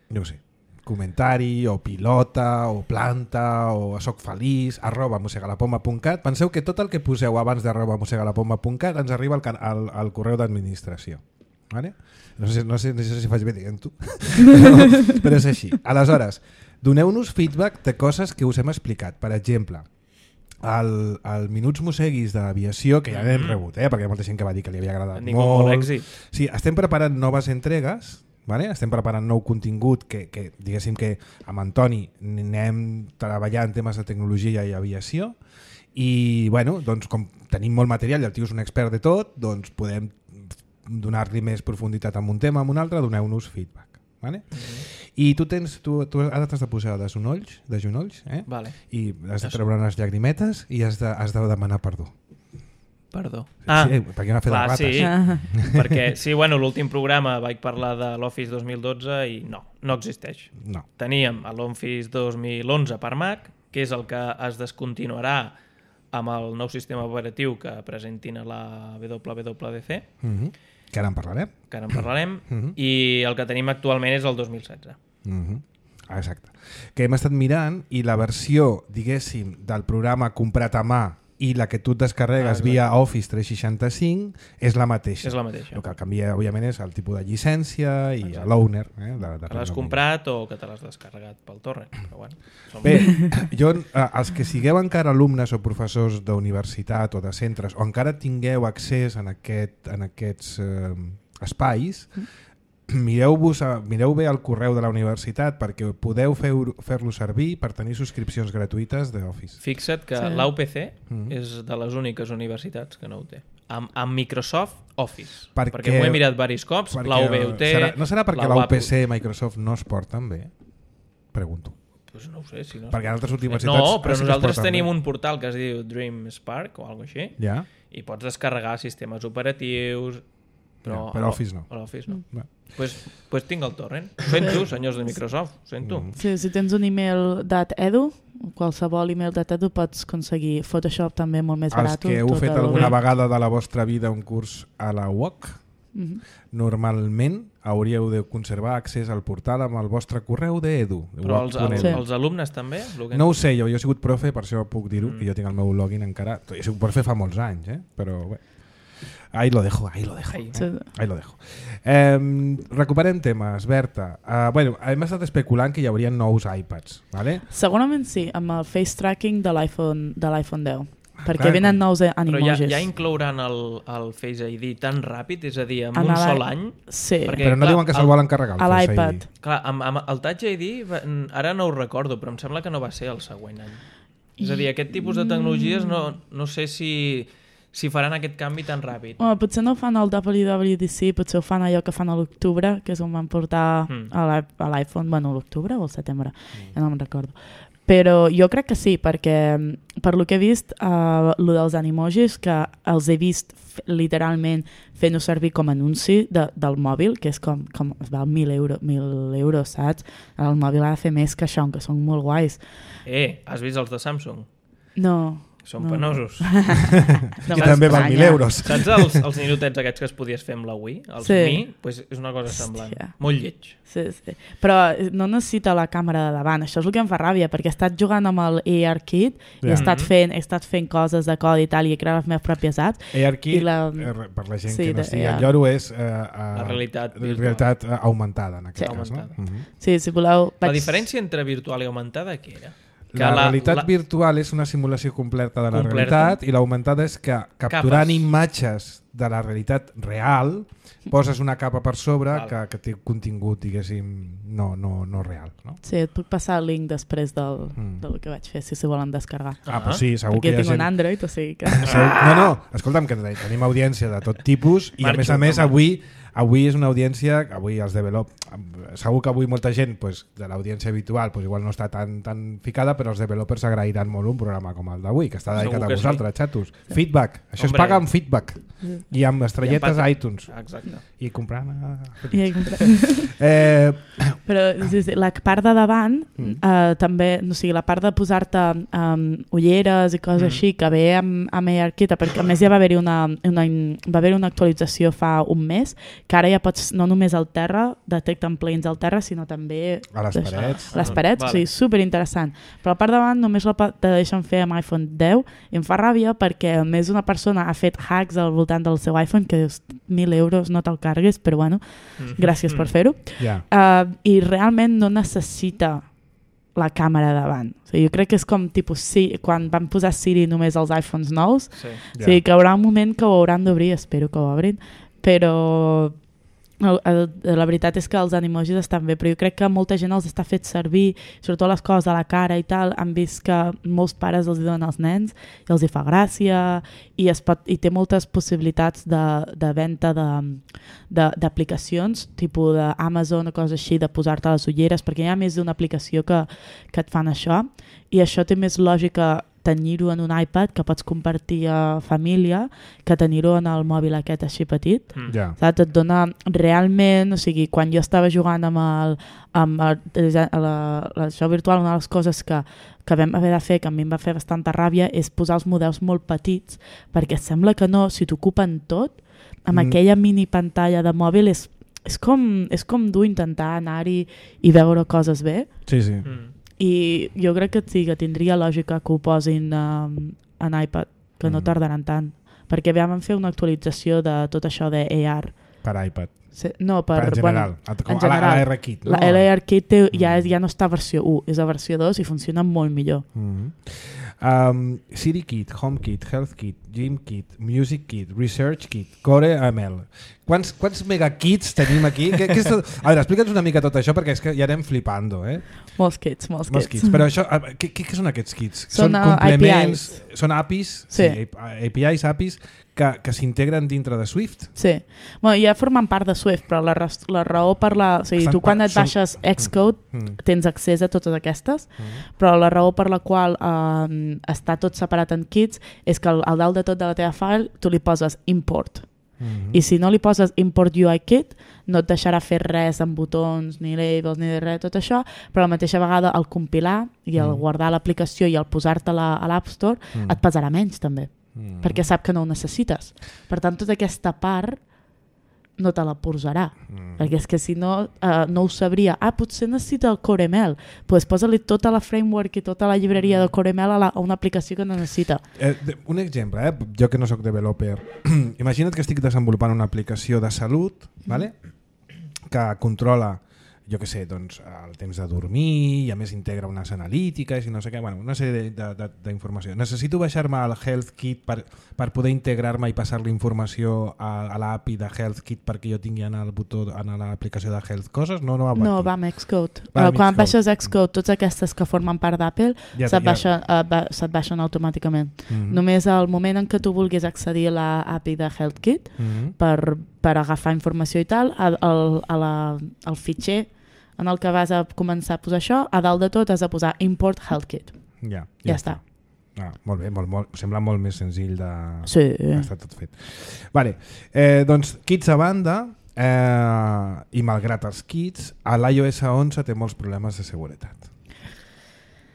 no ho sé, comentari o pilota o planta o soc feliç arroba mossegalapoma punt cat. Penseu que tot el que poseu abans d'arroba mossegalapoma punt cat ens arriba al, can- al, al correu d'administració. Vale? No sé, no sé, no sé si faig bé dient-ho, però, però és així. Aleshores, doneu-nos feedback de coses que us hem explicat. Per exemple, el, el Minuts Mosseguis d'aviació, que ja n'hem rebut, eh? perquè hi ha molta gent que va dir que li havia agradat Han tingut molt èxit. Sí, estem preparant noves entregues, vale? Estem preparant nou contingut que, que diguéssim que amb Antoni anem treballant en temes de tecnologia i aviació i bueno, doncs com tenim molt material i el tio és un expert de tot, doncs podem donar-li més profunditat en un tema, en un altre, doneu-nos feedback. Vale? Mm-hmm. I tu tens, tu, tu ara t'has de posar de genolls, de genolls eh? Vale. i has de treure unes llagrimetes i has de, has de demanar perdó. Perdó. Ah, sí, perquè hi ha fet de clar, rates. sí. Ah. Perquè, sí, bueno, l'últim programa vaig parlar de l'Office dos mil dotze i no, no existeix. No. Teníem l'Office dos mil onze per Mac, que és el que es descontinuarà amb el nou sistema operatiu que presentin a la W W D C, Mm-hmm. Que ara en parlarem. que ara en parlarem, Mhm. i el que tenim actualment és el dos mil setze. Mm-hmm. Exacte. Que hem estat mirant i la versió, diguéssim, del programa comprat a mà i la que tu et descarregues Ah, via Office tres seixanta-cinc és la mateixa. És la mateixa. El que canvia, òbviament, és el tipus de llicència i Exacte. l'owner. Eh, de, de Que l'has comprat o que te l'has descarregat pel torrent. Però bueno, som... Bé, jo, eh, els que sigueu encara alumnes o professors d'universitat o de centres o encara tingueu accés en, aquest, en aquests eh, espais, mireu-vos a, mireu bé el correu de la universitat perquè podeu fer-lo fer servir per tenir subscripcions gratuïtes d'Office. Fixa't que Sí. l'A U P C Mhm. és de les úniques universitats que no ho té. Amb, amb Microsoft Office. Perquè- perquè m'ho he mirat diversos cops, Perquè la U B ho té... serà, no serà perquè la la U P U A P C i Microsoft no es porten bé? Pregunto. Pues no ho sé, si no... Perquè en altres universitats... No, però sí que es nosaltres porten tenim bé. un portal que es diu Dream Spark o alguna cosa així, Ja? i pots descarregar sistemes operatius, però, Ja, però Office no. A l'Office no. Va. Pues, pues tinc el torrent. Ho sento, senyors de Microsoft, ho sento. Mm. Sí, si tens un email .edu, qualsevol email .edu pots aconseguir Photoshop també molt més Els barat. que heu tot fet el- alguna vegada de la vostra vida un curs a la U O C, Mhm. normalment hauríeu de conservar accés al portal amb el vostre correu d'edu. Però els, els, Sí. els alumnes també? El que... No ho sé, jo, jo he sigut profe, per això puc dir-ho, Mm. que jo tinc el meu login encara. He sigut profe fa molts anys, eh? Però bé. Ahí lo dejo, ahí lo dejo. Ahí. Sí. Ahí lo dejo. Eh, recuperem temes, Berta. Uh, bueno, hem estat especulant que hi hauria nous iPads, ¿vale? Segurament sí, amb el face tracking de l'iPhone de l'iPhone deu. Perquè clar, venen nous Però ja, animojis. ja inclouran el, el Face I D tan ràpid, és a dir, en En un el- sol any? Sí, Perquè- Però no clar, diuen que se'l el- volen carregar. el a Face l'iPad. I D. Clar, amb, amb el Touch I D, va- ara no ho recordo, però em sembla que no va ser el següent any. És a dir, aquest tipus de tecnologies no, no sé si, si faran aquest canvi tan ràpid. Home, potser no ho fan al W W D C, potser ho fan allò que fan a l'octubre, que és on van portar Mm. a l'i- a l'iPhone, bueno, a l'octubre o al setembre, ja no me'n recordo. Però jo crec que sí, perquè per lo que he vist, uh, lo dels animojis, que els he vist f- literalment fent-ho servir com a anunci de, del mòbil, que és com, com es val mil euros, mil euros, saps? El mòbil ha de fer més que això, que són molt guais. Eh, has vist els de Samsung? No. Són no. penosos. No I també val mil m'estranya. euros. Saps els, els ninotets aquests que es podies fer amb la Wii? Els Sí. Mi? Pues és una cosa semblant. Hòstia. Molt lleig. Sí, sí. Però no necessita la càmera de davant. Això és el que em fa ràbia, perquè he estat jugant amb el ARKit i he Ja. estat fent, he estat fent coses de codi i tal, i he creat les meves pròpies apps. ARKit, I la- eh, per la gent Sí, que no de- estigui ja. al lloro, és eh, eh, La realitat virtual. realitat eh, augmentada, en aquest Sí. cas. No? Augmentada. Mhm. Sí, si voleu... La vaig- diferència entre virtual i augmentada, què era? Que La, realitat la- virtual és una simulació completa de la Completa. realitat i l'augmentada és que capturant Capes. imatges de la realitat real poses una capa per sobre Val. que, que té contingut, diguéssim, no, no, no real. No? Sí, et puc passar el link després del, Mm. del que vaig fer, si s'hi volen descarregar. Ah, Ah. doncs sí, segur Perquè que hi ha tinc gent... un Android, o sigui que... Segur- No, no, escolta'm, que tenim audiència de tot tipus i a Marxo, més a més home. avui avui és una audiència, avui els develop segur que avui molta gent pues, de l'audiència habitual pues, igual no està tan, tan ficada, però els developers agrairan molt un programa com el d'avui, que està dedicat Segur a que vosaltres, xatos. Feedback, això es Hombre. paga amb feedback i amb estrelletes I amb a iTunes Exacte. i comprant a... I he comprat. eh, Però sí, sí, la part de davant, Mm. eh, també, no sigui, la part de posar-te um, ulleres i coses Mm. així, que ve amb, amb ARKit, perquè a més ja va haver-hi una, una, va haver una actualització fa un mes, que ara ja pots, no només al terra, detecten plugins al terra, sinó també a les parets a les parets, Vale. o sigui, superinteressant. Però la part de davant només la pa- te deixen fer amb iPhone deu i em fa ràbia perquè més una persona ha fet hacks al voltant del seu iPhone que dius, mil euros no te'l cargues, però bueno, Mm. gràcies per fer-ho. ja. Uh, I realment no necessita la càmera davant. O sigui, jo crec que és com tipus sí, quan van posar Siri només als iPhones nous, Sí. o sigui, que hi haurà un moment que ho hauran d'obrir, espero que ho obrin, però el, el, la veritat és que els animojis estan bé, però jo crec que molta gent els està fet servir, sobretot les coses a la cara i tal, han vist que molts pares els hi donen als nens i els hi fa gràcia i, es pot, i té moltes possibilitats de, de venda de, de, d'aplicacions, tipus d'Amazon o coses així, de posar-te les ulleres, perquè hi ha més d'una aplicació que, que et fan això, i això té més lògica tenir-ho en un iPad que pots compartir a família que tenir-ho en el mòbil aquest així petit. Mm. ja. Saps? Et dona realment, o sigui, quan jo estava jugant amb el, amb el, la, la, això virtual, una de les coses que, que vam haver de fer, que a mi em va fer bastanta ràbia, és posar els models molt petits, perquè sembla que no, si t'ocupen tot, amb Mm. mm. aquella mini pantalla de mòbil és, és, com, és com dur intentar anar-hi i veure coses bé. sí, sí. Mm. I jo crec que sí, que tindria lògica que ho posin um, en iPad. que no Mm. tardaran tant. Perquè vam fer una actualització de tot això de A R. Per iPad. Sí, no, per... Per en general. Bueno, A- en com a la- general. a la R Kit, no? La L R Kit té, ja, Mm. ja no està a versió u, és a versió dos i funciona molt millor. Mm. Um, Siri Kit, Home Kit, Health Kit, Gym Kit, Music Kit, Research Kit, Core M L. Quants, quants megakits tenim aquí? Què, què és tot? A veure, explica'ns una mica tot això perquè és que ja anem flipando, eh? Molts kits, molts, Molts kits. kits. Però això, a- què, què, què són aquests kits? Són, són uh, complements, A P Is. són A P Is, Sí. A P Is, A P Is que, que s'integren dintre de Swift. Sí. Bueno, ja formen part de Swift, però la, ras- la raó per la... O sigui, Estan tu quan pa- et són- baixes Xcode Mm. tens accés a totes aquestes, Mm. però la raó per la qual eh, està tot separat en kits és que al, al dalt de tot de la teva file tu li poses import. Mm. I si no li poses import U I kit no et deixarà fer res amb botons ni labels ni de res, tot això, però a la mateixa vegada al compilar i al Mm. guardar l'aplicació i al posar-te-la a l'App Store Mm. et pesarà menys també, Mm. perquè sap que no ho necessites. Per tant, tota aquesta part no te la posarà, Mm. perquè és que si no, uh, no ho sabria. Ah, potser necessita el Core M L. Doncs pues posa-li tota la framework i tota la llibreria de Core M L a, la, a una aplicació que no necessita. Eh, de- un exemple, eh? Jo que no sóc developer. Imagina't que estic desenvolupant una aplicació de salut, vale? Que controla, jo que sé, doncs, el temps de dormir i a més integra unes analítiques i no sé què, bueno, una sèrie d'informació. Necessito baixar-me al Health Kit per, per poder integrar-me i passar-li informació a, a l'A P I de Health Kit perquè jo tingui en el botó, en l'aplicació de Health coses? No, no va per No, aquí. va amb Xcode. Va Uh, amb quan Xcode. baixes Xcode, totes aquestes que formen part d'Apple Ja- se't, ja- baixa, uh, ba se't baixen automàticament. Mhm. Només al moment en què tu vulguis accedir a la A P I de HealthKit Mhm. per, per agafar informació i tal, al, al, a la, al fitxer en el que vas a començar a posar això, a dalt de tot has de posar import HealthKit. Ja, Ja està. Ah, molt bé, molt, molt, sembla molt més senzill de... Sí. Està tot fet. Vale. Eh, doncs, kits a banda, eh, i malgrat els kits, a l'iOS onze té molts problemes de seguretat.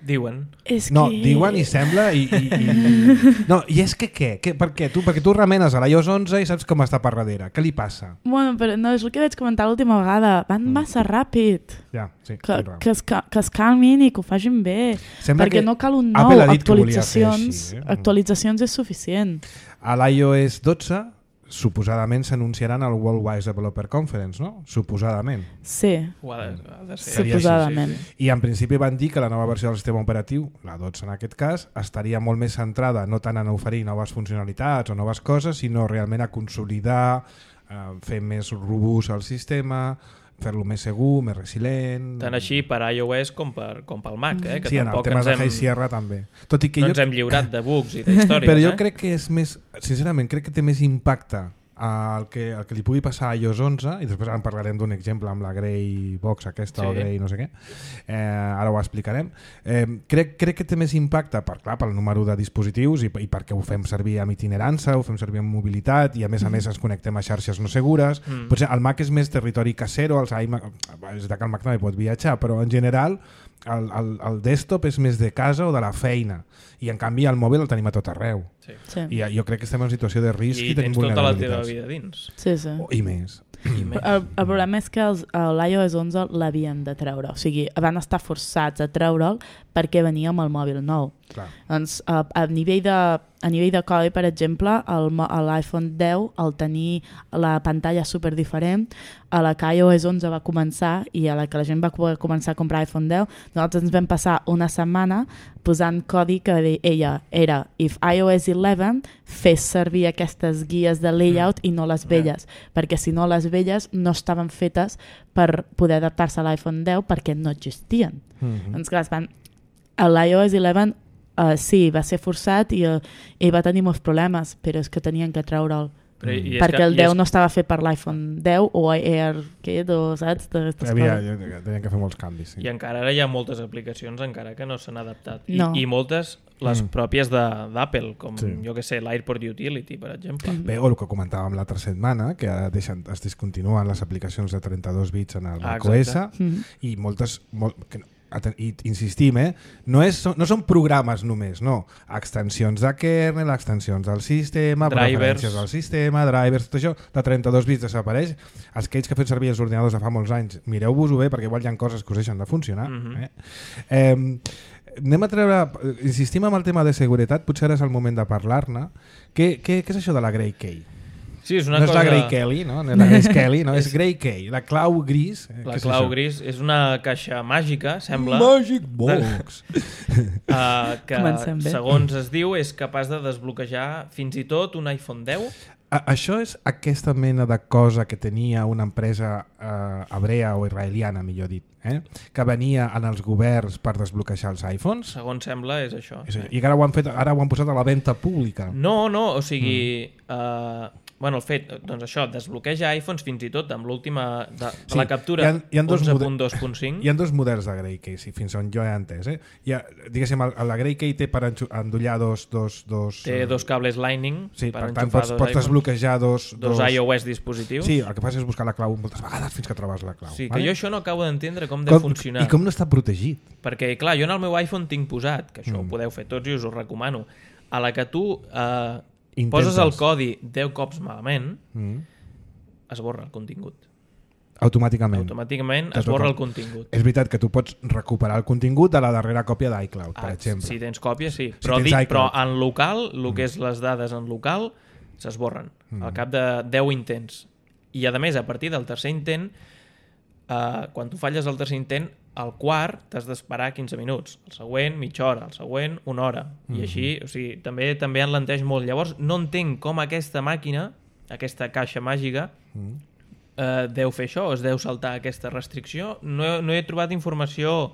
Diuen. És No, que... diuen i sembla i, i, i... No, i és que què? què? Per què? Tu, perquè tu remenes a l'iOS onze i saps com està per darrere. Què li passa? Bueno, però no, és el que vaig comentar l'última vegada. Van Mm. massa ràpid. Ja, sí. Que, tens raó. que, es, ca- que es calmin i que ho facin bé. Sembla Perquè que no cal un Apple nou. ha dit que volia fer Actualitzacions, així, eh? actualitzacions és suficient. A l'iOS dotze suposadament s'anunciaran al World Wide Developer Conference, no? Suposadament. Sí, Ho ha de, ha de ser. Seria així, suposadament. Sí, sí. I en principi van dir que la nova versió del sistema operatiu, la dotze en aquest cas, estaria molt més centrada no tant en oferir noves funcionalitats o noves coses, sinó realment a consolidar, eh, fer més robust el sistema, fer-lo més segur, més resilient... Tant així per iOS com, per, com pel Mac, eh? que Sí, en el tampoc tema ens de hem, High Sierra també. Tot i que no jo, ens hem lliurat de bugs i d'històries. però jo eh? crec que és més, sincerament, crec que té més impacte el que, el que li pugui passar a iOS onze, i després en parlarem d'un exemple amb la Grey Box aquesta, Sí. o Grey no sé què, eh, ara ho explicarem. Eh, crec, crec que té més impacte per, clar, pel número de dispositius i, i perquè ho fem servir amb itinerança, ho fem servir amb mobilitat i a més a més ens connectem a xarxes no segures. Mm. Potser el Mac és més territori casero, els iMac, és de que el Mac també pot viatjar, però en general el, el, el desktop és més de casa o de la feina i en canvi el mòbil el tenim a tot arreu. Sí. Sí, I jo crec que estem en situació de risc i, I tenim tens tota la teva vulnerabilitats. vida dins. sí. sí. Oh, I més. I més. El, el problema és que els- eh, l'iOS onze l'havien de treure, o sigui, van estar forçats a treure'l perquè venia amb el mòbil nou. Clar. Doncs, a, a, nivell de, a nivell de codi, per exemple, el mo- a l'iPhone deu, al tenir la pantalla super diferent, a la que iOS onze va començar i a la que la gent va poder començar a comprar iPhone deu, nosaltres ens vam passar una setmana posant codi que deia era if iOS onze fes servir aquestes guies de layout i no les velles, perquè si no les velles no estaven fetes per poder adaptar-se a l'iPhone deu perquè no existien. Mhm. Doncs clar, es van... a l'iOS onze uh, sí, va ser forçat i, uh, i va tenir molts problemes, però és que tenien que treure'l. Però, i és Perquè que, el i deu és, no estava fet per l'iPhone deu o AirKit o saps? D'aquestes Havia, coses. tenien que fer molts canvis. Sí. I encara ara hi ha moltes aplicacions encara que no s'han adaptat. I, No. I moltes, les Mm. pròpies de- d'Apple, com Sí. jo que sé, l'AirPort Utility, per exemple. Bé, o el que comentàvem l'altra setmana, que deixen, es discontinuen les aplicacions de trenta-dos bits en el Ah, macOS exacte. Mhm. i moltes... Molt, que no, i insistim, eh? no, és, no són programes només, no. Extensions de kernel, extensions del sistema, drivers. Preferències del sistema, drivers, tot això de trenta-dos bits desapareix. Els que ells que fem servir els ordinadors de fa molts anys, mireu-vos-ho bé perquè igual hi ha coses que us deixen de funcionar. Mm-hmm. eh? Eh, anem a treure, insistim en el tema de seguretat, potser ara és el moment de parlar-ne. Què, què, què és això de la Grey Key? Sí, és una no és cosa... la Grey Kelly, no? No és la Grace Kelly, no? és Grey Key, la clau gris. Eh? La clau és gris és una caixa màgica, sembla... Magic Box! uh, que, segons es diu, és capaç de desbloquejar fins i tot un iPhone deu. A això és aquesta mena de cosa que tenia una empresa eh, hebrea o israeliana, millor dit, eh? que venia en els governs per desbloquejar els iPhones. Segons sembla, és això. És, I que ara ho, han fet, ara ho han posat a la venda pública. No, no, o sigui... Mm. Uh, bueno, el fet, doncs això, desbloqueja iPhones fins i tot amb l'última de, de sí, la captura onze punt dos punt cinc. Hi ha dos models de Grey Key, sí, fins on jo he entès. Eh? Hi ha, diguéssim, el, la Grey Key té per endollar dos... dos, dos té dos cables Lightning sí, per, per tant pots, pots desbloquejar dos, dos, dos iOS dispositius. Sí, el que fas és buscar la clau moltes vegades fins que trobes la clau. Sí, vale? que jo això no acabo d'entendre com de com, funcionar. I com no està protegit. Perquè, clar, jo en el meu iPhone tinc posat, que això mm. ho podeu fer tots i us ho recomano, a la que tu... Eh, Intentes. Poses el codi deu cops malament, mm. esborra el contingut. Automàticament. Automàticament esborra el contingut. És veritat que tu pots recuperar el contingut de la darrera còpia d'iCloud, per ah, exemple. Si tens còpia, sí. Però, si dic, però en local, el que és les dades en local, s'esborren mm. al cap de deu intents. I, a més, a partir del tercer intent, eh, quan tu falles el tercer intent, el quart t'has d'esperar quinze minuts, el següent mitja hora, el següent una hora, i mm-hmm. així, o sigui, també també enlenteix molt. Llavors no entenc com aquesta màquina, aquesta caixa màgica, mm. eh, deu fer això, es deu saltar aquesta restricció. No he, no he trobat informació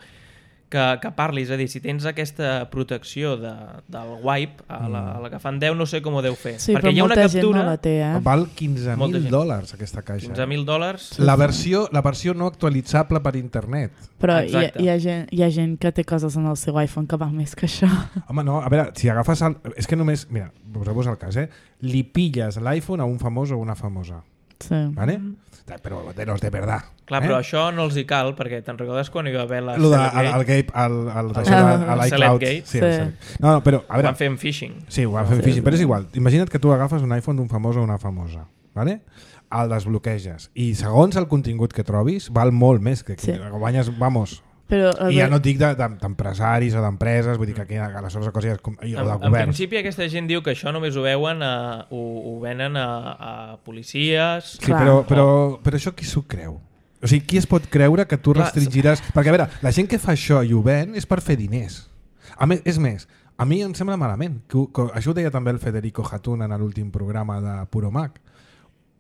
que, que parli, és a dir, si tens aquesta protecció de, del wipe a la, a la que fan deu, no sé com ho deu fer. Sí, perquè hi ha una captura... No la té, eh? Val quinze mil dòlars aquesta caixa. quinze mil dòlars. La versió, la versió no actualitzable per internet. Però hi ha, hi, ha gent, hi ha gent que té coses en el seu iPhone que val més que això. Home, no, a veure, si agafes... El, és que només... Mira, poseu-vos el cas, eh? Li pilles l'iPhone a un famós o una famosa. Sí. ¿Vale? Però de los de verdad. Clar, eh? Però això no els hi cal, perquè te'n recordes quan hi va haver la Lo de, el, el Gate, el, el, el, el, l'iCloud. Sí, sí. No, no, però, a veure, ho van fer amb phishing. Sí, ho van fer amb sí, phishing, sí. Però és igual. Imagina't que tu agafes un iPhone d'un famós o una famosa, ¿vale? El desbloqueges i segons el contingut que trobis val molt més, que, que sí. guanyes, vamos... Però, I ja no et dic d'empresaris de, de, o d'empreses, vull dir que aquí aleshores coses o de en, governs. En principi aquesta gent diu que això només ho veuen a, ho, ho venen a, a policies. Sí, però, però, però això qui s'ho creu? O sigui, qui es pot creure que tu Clar, restringiràs... Perquè a veure, la gent que fa això i ho ven és per fer diners. A més, és més, a mi em sembla malament, que, que, això ho deia també el Federico Hatun en l'últim programa de Puro Mac,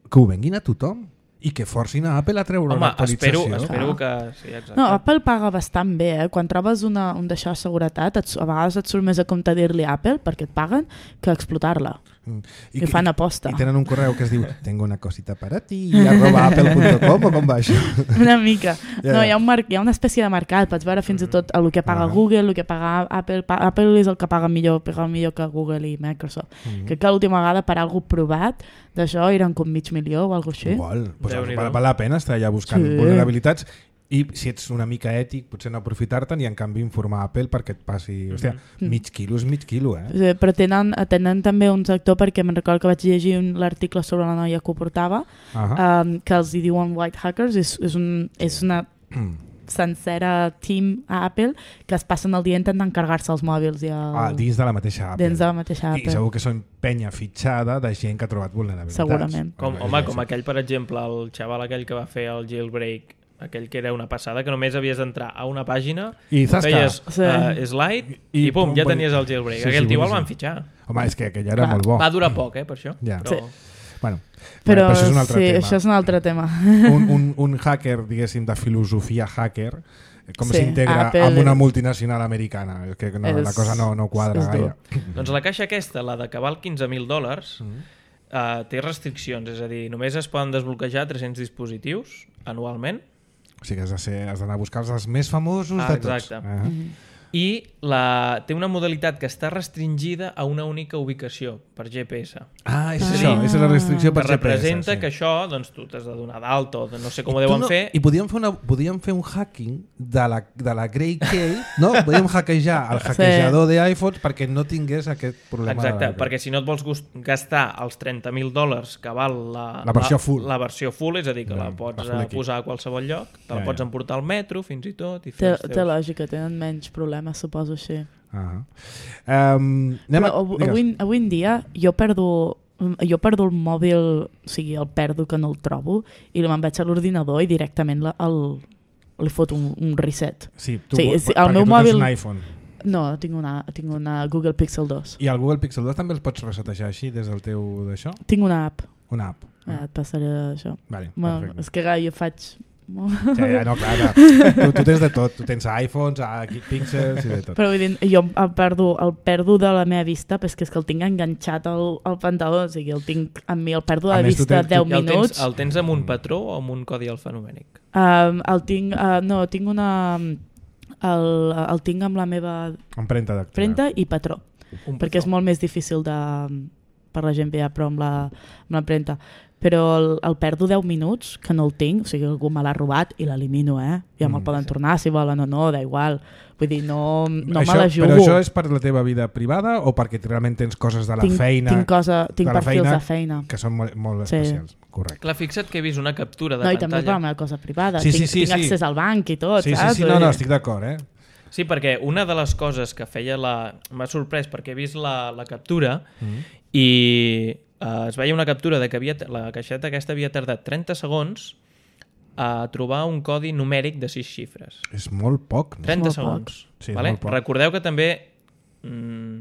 que ho venguin a tothom i que forcin a Apple a treure Home, una actualització. Espero, espero que... Sí, exacte. No, Apple paga bastant bé, eh? Quan trobes una, un d'això de seguretat, et, a vegades et surt més a compte dir-li a Apple perquè et paguen que explotar-la. Mm. I, I fan aposta. I tenen un correu que es diu tengo una cosita para ti arroba apple punt com o com va això? Una mica. Yeah. No, hi ha, un mar... hi ha una espècie de mercat, pots veure fins i tot el que paga uh-huh. Google, el que paga Apple. Pa... Apple és el que paga millor, paga millor que Google i Microsoft. Uh-huh. Crec que l'última vegada per algú provat d'això eren com mig milió o alguna cosa així. Igual, pues val, val la pena estar allà buscant sí. vulnerabilitats i si ets una mica ètic potser no aprofitar-te'n i en canvi informar Apple perquè et passi, hòstia, mm-hmm. mig quilo és mig quilo, eh? Sí, però tenen, tenen també un sector, perquè me'n recordo que vaig llegir un, l'article sobre la noia que ho portava, uh-huh. um, que els hi diuen white hackers, és, és, un, és una sencera team a Apple que es passen el dia intentant carregar-se els mòbils i el... ah, dins de la mateixa Apple. Dins de la mateixa Apple. I segur que són penya fitxada de gent que ha trobat vulnerabilitats. Segurament. Com, home, com aquell, per exemple, el xaval aquell que va fer el jailbreak, aquell que era una passada, que només havies d'entrar a una pàgina, i feies sí. uh, slide i, i pum, ja tenies el jailbreak. Sí, aquell sí, tio sí. el van fitxar. Home, és que aquell era Clar. molt bo. Va durar poc, eh, per això. Ja. Però... Sí. Bueno, però, però això és un altre sí, tema. Això és un altre tema. Un, un, un hacker, diguéssim, de filosofia hacker, com sí, s'integra Apple... amb una multinacional americana. És que no, és... la cosa no, no quadra gaire. Doncs la caixa aquesta, la de que val quinze mil dòlars, mm. uh, té restriccions, és a dir, només es poden desbloquejar tres-cents dispositius anualment. O sigui que has de ser, has d'anar a buscar els més famosos ah, de tots. Exacte. Uh-huh. i la, té una modalitat que està restringida a una única ubicació per G P S. Ah, és Ah. això, és la restricció per Que G P S. representa sí. que això, doncs tu t'has de donar d'alta o de no sé com I ho tu deuen no, fer. I podíem fer, una, podíem fer un hacking de la, de la Grey Key, no? Podíem hackejar el hackejador sí. d'iPhones perquè no tingués aquest problema. Exacte, de la... perquè si no et vols gust- gastar els trenta mil dòlars que val la, La versió full. la, la versió full, és a dir, que Ja, la pots la full eh, aquí. posar a qualsevol lloc, te la Ja, pots ja. emportar al metro fins i tot i Té, fer els té teus... lògica, tenen menys problemes, suposo així. Uh -huh. um, anem Però a... av- digues. avui, avui en dia jo perdo, jo perdo el mòbil, o sigui, el perdo que no el trobo, i me'n vaig a l'ordinador i directament la, el, li foto un, un reset. Sí, tu, Sí, sí, sí, el perquè meu tu mòbil- tens un iPhone. No, tinc una, tinc una Google Pixel dos. I el Google Pixel dos també els pots resetejar així des del teu d'això? Tinc una app. Una app. Eh, et passaré això. Vale, Bueno, perfecte. és que clar, jo faig... Ja, ja, no, clar, clar. Tu, tu tens de tot. Tu tens iPhones, Pixels i de tot. Però vull dir, jo el perdo, el perdo de la meva vista, però és que, és que el tinc enganxat al, al pantaló, o sigui, el tinc amb mi, el perdo de A la més, tu vista tens- deu I el minuts. tens, el tens amb un patró o amb un codi alfanumèric? Um, el tinc, uh, no, tinc una... El, el tinc amb la meva Empremta dactilar. premta i patró, Un perquè és patró. molt més difícil de, per la gent veia, però amb la, amb l'empremta. Però el, el perdo deu minuts, que no el tinc, o sigui, algú me l'ha robat i l'elimino, eh? Ja me'l Mm, poden sí. tornar si volen o no, da igual. Vull dir, no, no això, me la jugo. Però això és per la teva vida privada o perquè realment tens coses de la tinc, feina tinc, cosa, tinc de la perfils feina de feina. que són molt, molt Sí. especials? Correcte. Clar, fixa't que he vist una captura de No, i també per pantalla. la meva cosa privada. Sí, sí, tinc sí, tinc sí. accés al banc i tot, Sí, sí, saps? sí, no, no, estic d'acord, eh? Sí, perquè una de les coses que feia la... M'ha sorprès perquè he vist la, la captura Mm. i uh, es veia una captura de que havia, la caixeta aquesta havia tardat trenta segons a trobar un codi numèric de sis xifres. És molt poc. No? trenta molt segons. Sí, és vale? molt poc. Recordeu que també mm,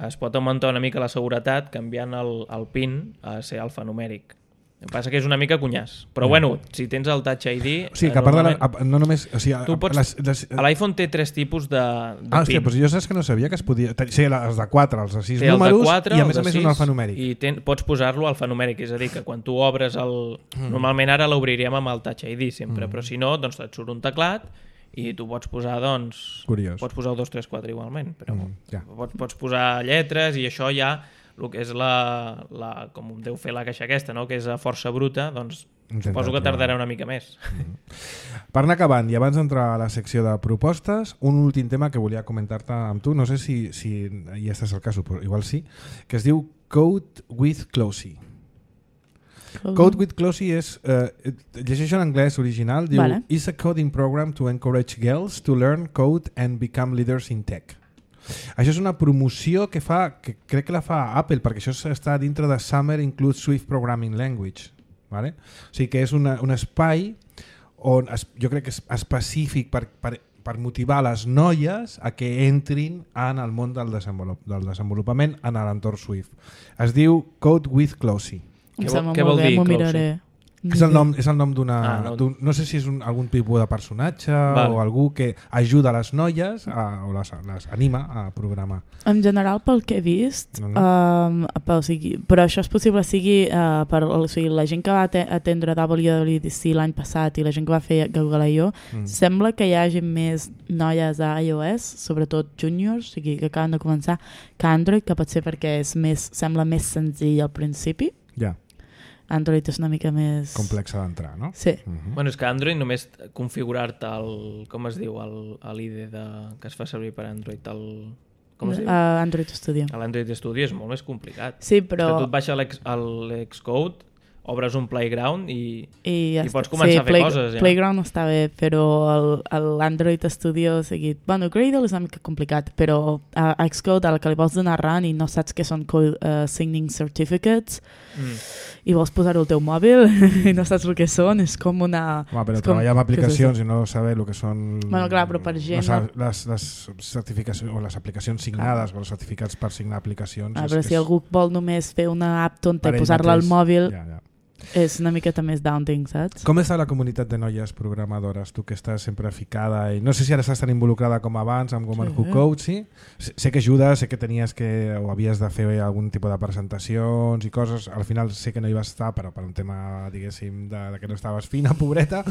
es pot augmentar una mica la seguretat canviant el, el PIN a ser alfanumèric. El que passa que és una mica cunyàs. Però Mm. bueno, si tens el Touch I D... O sigui, que eh, a part de la, normalment- a- no només... O sigui, Tu pots- les, les, a L'iPhone té tres tipus de, de ah, hòstia, PIN. doncs jo saps que no sabia que es podia... Sí, els de quatre, els de sis Té el números de quatre, i a el més a de més sis, un alfanumèric. I ten, pots posar-lo alfanumèric, és a dir, que quan tu obres el... Mm. Normalment ara l'obriríem amb el Touch I D sempre, mm. però si no, doncs et surt un teclat i tu pots posar, doncs... Curiós. Pots posar el dos tres quatre igualment, però Mm, ja. pots, pots posar lletres i això ja, el que és la, la com deu fer la caixa aquesta, no? Que és a força bruta, doncs Intenta suposo que trobar. tardarà una mica més. Per anar acabant, i abans d'entrar a la secció de propostes, un últim tema que volia comentar-te amb tu, no sé si, si ja estàs al cas, però igual sí, que es diu Code with Closey. Code with Closey és, eh, llegeixo en anglès original, diu Vale. is a coding program to encourage girls to learn code and become leaders in tech. Això és una promoció que fa, que crec que la fa Apple, perquè això està dintre de Summer Includes Swift Programming Language. Vale? O sigui que és una, un espai on es, jo crec que és específic per, per, per motivar les noies a que entrin en el món del, desenvolup, del desenvolupament en l'entorn Swift. Es diu Code with Closey. Em Què sembla vol- què molt vol bé, dir, m'ho Closey? miraré. És el nom, és el nom d'una... Ah, no. d'un- no sé si és un, algun tipus de personatge Vale. o algú que ajuda les noies a, o les, les anima a programar. En general, pel que he vist, Mhm. um, però, o sigui, però això és possible sigui uh, per o sigui, la gent que va ate- atendre W W D C l'any passat i la gent que va fer Google I O, Mm. sembla que hi hagi més noies a iOS, sobretot juniors, o sigui, que acaben de començar, que Android, que pot ser perquè és més, sembla més senzill al principi. Ja, Android és una mica més... complexa d'entrar, no? Sí. Mhm. Bueno, és que Android només configurar-te el... Com es diu? el- l'I D de, que es fa servir per Android. El, com es diu? Uh, Android Studio. L'Android Studio és molt més complicat. Sí, Però... però... Tu et baixa l'ex- el- l'Xcode, obres un playground i... I, ja I està. pots començar a fer coses, ja. Playground està bé, però el- l'Android Studio, o sigui, bueno, Gradle és una mica complicat, però a, a Xcode, al que li vols donar run i no saps què són code, uh, signing certificates, Mm. i vols posar-ho al teu mòbil i no saps el que són, és com una... Home, però és com- treballar amb què és aplicacions i no saber el que són Bueno, clar, però per gent, les, no? les, les certificacions o les aplicacions signades o els certificats per signar aplicacions Ah, és però que si és- algú vol només fer una app tonta per i ell posar-la al mateix. mòbil, Ja, ja. és una miqueta més daunting, saps? Com està la comunitat de noies programadores? Tu que estàs sempre ficada i no sé si ara estàs tan involucrada com abans amb Woman Sí. Who Code, sí? Sé sé que ajudes, sé que tenies que o havies de fer algun tipus de presentacions i coses, al final sé que no hi vas estar però per un tema, diguéssim, de, de que no estaves fina, pobreta,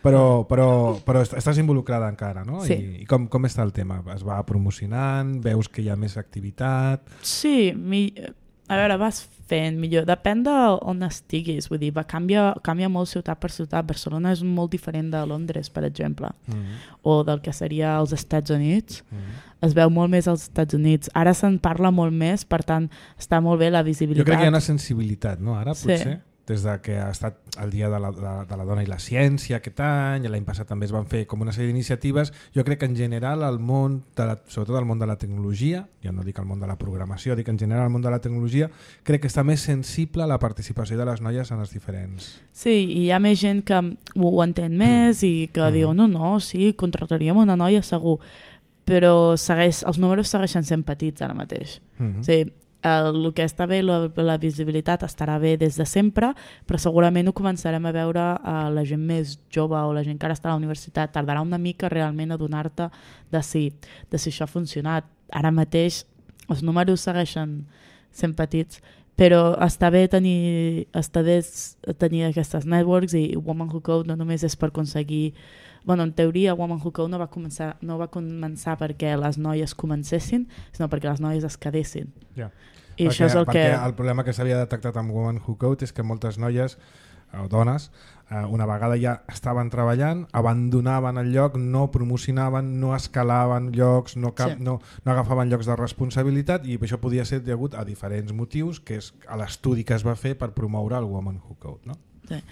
però, però, però est- estàs involucrada encara, no? Sí. I, i com, com està el tema? Es va promocionant? Veus que hi ha més activitat? Sí, mi... a veure, vas fent millor. Depèn d'on estiguis, vull dir, va canvia, canvia molt ciutat per ciutat. Barcelona és molt diferent de Londres, per exemple, Mm-hmm. o del que seria els Estats Units. Mm-hmm. Es veu molt més als Estats Units. Ara se'n parla molt més, per tant, està molt bé la visibilitat. Jo crec que hi ha una sensibilitat, no? Ara, Sí. potser, des de que ha estat el Dia de la, de, de la Dona i la Ciència aquest any, l'any passat també es van fer com una sèrie d'iniciatives. Jo crec que en general el món, de la, sobretot el món de la tecnologia, ja no dic el món de la programació, dic en general el món de la tecnologia, crec que està més sensible a la participació de les noies en els diferents... Sí, i hi ha més gent que ho, ho entén més i que Mm. diu, no, no, sí, contrataríem una noia segur, però segueix, els números segueixen sent petits ara mateix. Mm-hmm. Sí, el, el que està bé, la, la visibilitat estarà bé des de sempre, però segurament ho començarem a veure a la gent més jove o la gent que ara està a la universitat. Tardarà una mica realment a donar-te de si, de si això ha funcionat. Ara mateix els números segueixen sent petits, però està bé tenir, està bé tenir aquestes networks i Woman Who Code no només és per aconseguir... Bueno, en teoria, Woman Who Code no va començar, no va començar perquè les noies comencessin, sinó perquè les noies es quedessin. Ja. I perquè, això és el perquè que... el problema que s'havia detectat amb Woman Who Code és que moltes noies o dones, eh, una vegada ja estaven treballant, abandonaven el lloc, no promocionaven, no escalaven llocs, no, cap, Sí. no, no agafaven llocs de responsabilitat, i això podia ser degut a diferents motius, que és a l'estudi que es va fer per promoure el Woman Who Code, no? Sí.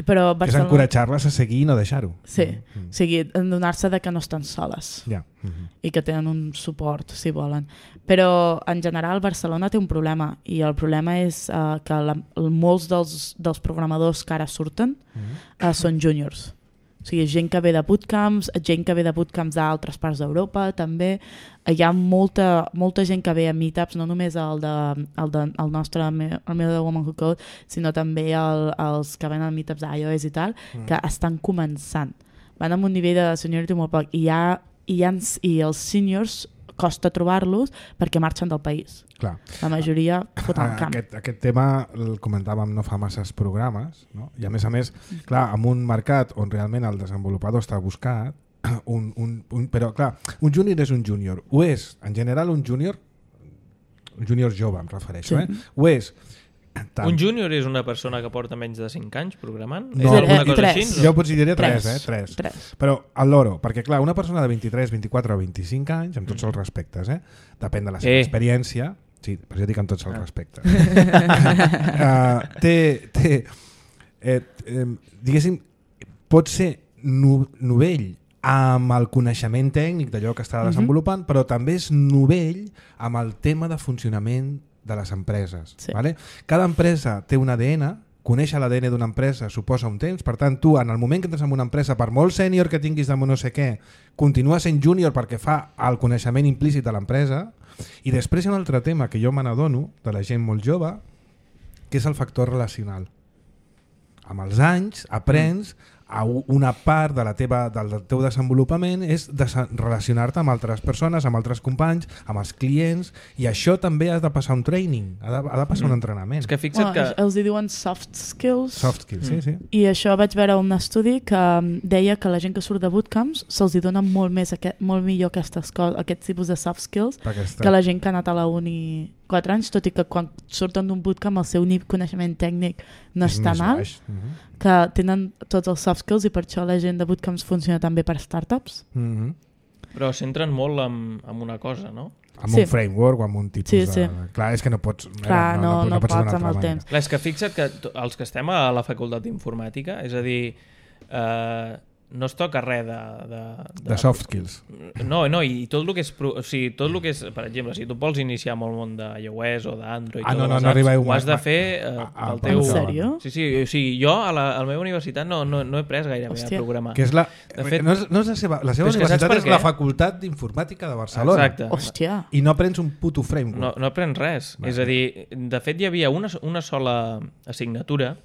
Però Que és encoratjar-les a seguir i no deixar-ho. Sí, Mm. o sigui, donar-se de que no estan soles Ja. Mm-hmm. i que tenen un suport, si volen. Però, en general, Barcelona té un problema, i el problema és uh, que la, molts dels, dels programadors que ara surten Mm-hmm. uh, són júniors. O sigui, gent que ve de bootcamps, gent que ve de bootcamps d'altres parts d'Europa, també. Hi ha molta, molta gent que ve a meetups, no només el, de, el, de, el nostre, el meu de Woman Who Code, sinó també el, els que venen a meetups d'iOS i tal, Mm. que estan començant. Van amb un nivell de seniority molt poc. I, hi ha, i, hi ha, i els seniors costa trobar-los perquè marxen del país. Clar. La majoria foten el camp. Aquest, aquest tema el comentàvem no fa masses programes, no? I a més a més, clar, en un mercat on realment el desenvolupador està buscat, un, un, un, però clar, un júnior és un júnior. Ho és, en general, un júnior, un júnior jove em refereixo, Sí. eh? Ho és. Tant. Un júnior és una persona que porta menys de cinc anys programant? No, és alguna eh, cosa tres. així? Jo potser diria tres, Tres. eh? Tres. Tres. Però al loro, perquè clar, una persona de vint-i-tres, vint-i-quatre o vint-i-cinc anys, amb tots els respectes, eh? Depèn de la seva Eh. experiència, sí, però jo dic amb tots els Ah. respectes. uh, té, té eh, eh, diguéssim, pot ser no, novell amb el coneixement tècnic d'allò que està desenvolupant, però també és novell amb el tema de funcionament de les empreses. Sí. Vale? Cada empresa té un A D N, conèixer l'A D N d'una empresa suposa un temps, per tant tu en el moment que entres en una empresa, per molt sènior que tinguis de no sé què, continua sent júnior perquè fa el coneixement implícit de l'empresa. I després hi ha un altre tema que jo me n'adono de la gent molt jove, que és el factor relacional. Amb els anys aprens a una part de la teva, del teu desenvolupament és de relacionar-te amb altres persones, amb altres companys, amb els clients, i això també has de passar un training, ha de, ha de passar un entrenament. És que fixa't Bueno, que... els hi diuen soft skills. Soft skills, sí, sí. I això vaig veure un estudi que um, deia que la gent que surt de bootcamps se'ls hi dona molt, més aquest, molt millor aquestes coses, aquest tipus de soft skills Perquè està... que la gent que ha anat a la uni quatre anys, tot i que quan surten d'un bootcamp el seu nivell coneixement tècnic no és tan alt, Uh -huh. que tenen tots els soft skills, i per això la gent de bootcamps funciona també per startups. Uh -huh. Però centren molt en, en una cosa, no? Amb Sí. un framework o amb un tipus Sí, de... sí. Clar, és que no pots... Clar, no, no, pots pots d'una amb altra el manera. temps. Clar, és que fixa't que to- els que estem a la facultat d'informàtica, és a dir, eh, no es toca res de... De, De soft skills. No, no, i tot el que és, pro- o sigui, tot el que és, per exemple, si tu vols iniciar amb el món d'iOS o d'Android, Ah, no, o de no, les no apps, arribeu ho has de mai- fer eh, a- a- pel teu... En sèrio? Sí, sí, o sigui, jo a la, a la meva universitat no, no, no he pres gairebé Hòstia. a programar. Que és la... De fet- no és, no és la seva, la seva Però és que saps universitat per és què? la Facultat d'Informàtica de Barcelona. Exacte. Hòstia. I no aprens un puto framework. No, no aprens res. Vale. És a dir, de fet hi havia una, una sola assignatura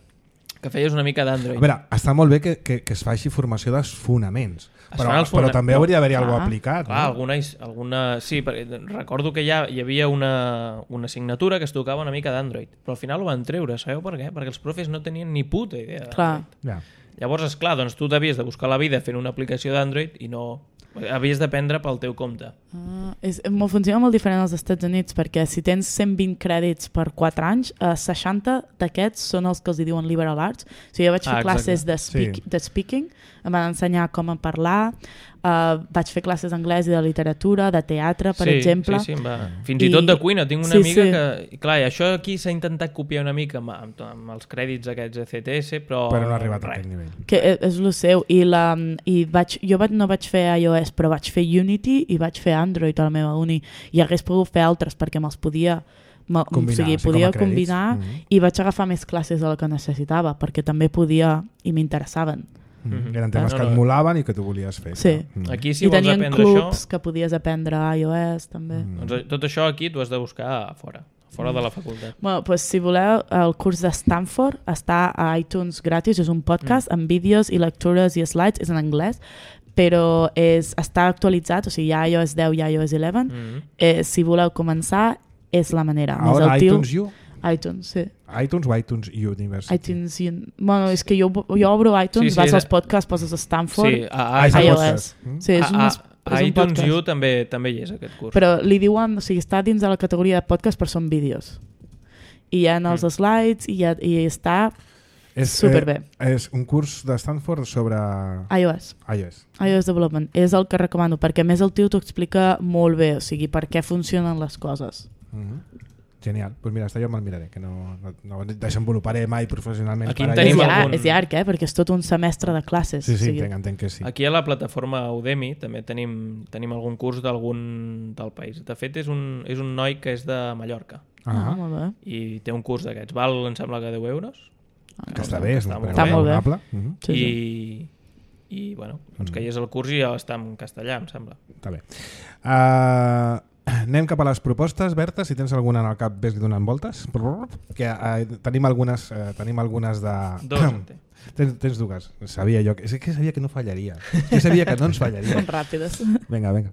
que feies una mica d'Android. A veure, està molt bé que, que, que es faci formació dels fonaments, Es però, fan els però fona- també no, hauria d'haver-hi clar, alguna cosa aplicat. Clar, no? alguna, alguna... Sí, perquè recordo que ja hi havia una, una assignatura que es tocava una mica d'Android, però al final ho van treure, sabeu per què? Perquè els profes no tenien ni puta idea Clar. d'Android. Ja. Llavors, esclar, doncs tu t'havies de buscar la vida fent una aplicació d'Android i no... Havies d'aprendre pel teu compte. Ah, és, mo- funciona molt diferent als Estats Units perquè si tens cent vint crèdits per quatre anys, eh, seixanta d'aquests són els que els hi diuen liberal arts. O sigui, jo vaig fer Ah, classes de, speak, Sí. de speaking, em van ensenyar com a parlar, eh, vaig fer classes d'anglès i de literatura, de teatre, per sí, exemple. Sí, sí, em va. Fins i, I- tot de cuina. Tinc una sí, amiga sí. que... Clar, i això aquí s'ha intentat copiar una mica amb, amb, amb els crèdits aquests de C T S, però... Però no ha arribat a res. aquest nivell. Que e- és el seu. I la, i vaig, jo vaig, no vaig fer iOS, però vaig fer Unity i vaig fer Android a la meva uni. I hagués pogut fer altres perquè me'ls podia... Me, Combinar, o sigui, sí, com a podia crèdits. combinar Mhm. i vaig agafar més classes de la que necessitava perquè també podia i m'interessaven. Mm. Mhm. Eren temes No, que no. et molaven i que tu volies fer. Sí. clar. Mm. Aquí, si I vols tenien aprendre clubs això... que podies aprendre iOS també. Mm. Doncs tot això aquí t'ho has de buscar a fora, fora de la facultat. Bueno, pues, si voleu, el curs de Stanford està a iTunes gratis, és un podcast amb vídeos i lectures i slides, és en anglès, però és, està actualitzat, o sigui, hi ha iOS deu i iOS onze. Mm. Eh, si voleu començar, és la manera. Més Ara el tio- iTunes U? iTunes, sí. iTunes o iTunes University? iTunes, i- bueno, és que jo, jo obro iTunes, Sí, sí, vas era- als podcasts, poses Stanford, Sí, a, Ah, a, és a, el iOS. podcast. Mm. Sí, és, un, a, és a un iTunes podcast. U també, també hi és aquest curs. Però li diuen, o sigui, està dins de la categoria de podcast, però són vídeos. I hi ha els Mm. slides i, ha, i està És, superbé. Eh, és un curs de Stanford sobre iOS. iOS. iOS Development. És el que recomano, perquè a més el tio t'ho explica molt bé, o sigui, per què funcionen les coses. Mm-hmm. Genial. Doncs pues mira, està jo me'l miraré, que no, no, no desenvoluparé mai professionalment. Aquí per en allà. És, Tenim llarg, algun- és llarg, eh? Perquè és tot un semestre de classes. Sí, o sí, sigui, entenc, entenc que sí. Aquí a la plataforma Udemy també tenim, tenim algun curs d'algun del país. De fet, és un, és un noi que és de Mallorca Ah, Ah, molt bé. i té un curs d'aquests. Val, em sembla que deu euros. que està bé, és un Està preu Està molt bé. raonable. Mm-hmm. Sí, sí. I, i bueno, doncs que hi és el curs i ja està en castellà, em sembla. Està bé. Uh, anem cap a les propostes, Berta, si tens alguna en el cap ves donant voltes. Que uh, tenim algunes uh, tenim algunes de... Dos en té. tens, tens dues. Sabia jo, que, és que sabia que no fallaria. Jo sabia que no ens fallaria. Són ràpides. Vinga, vinga.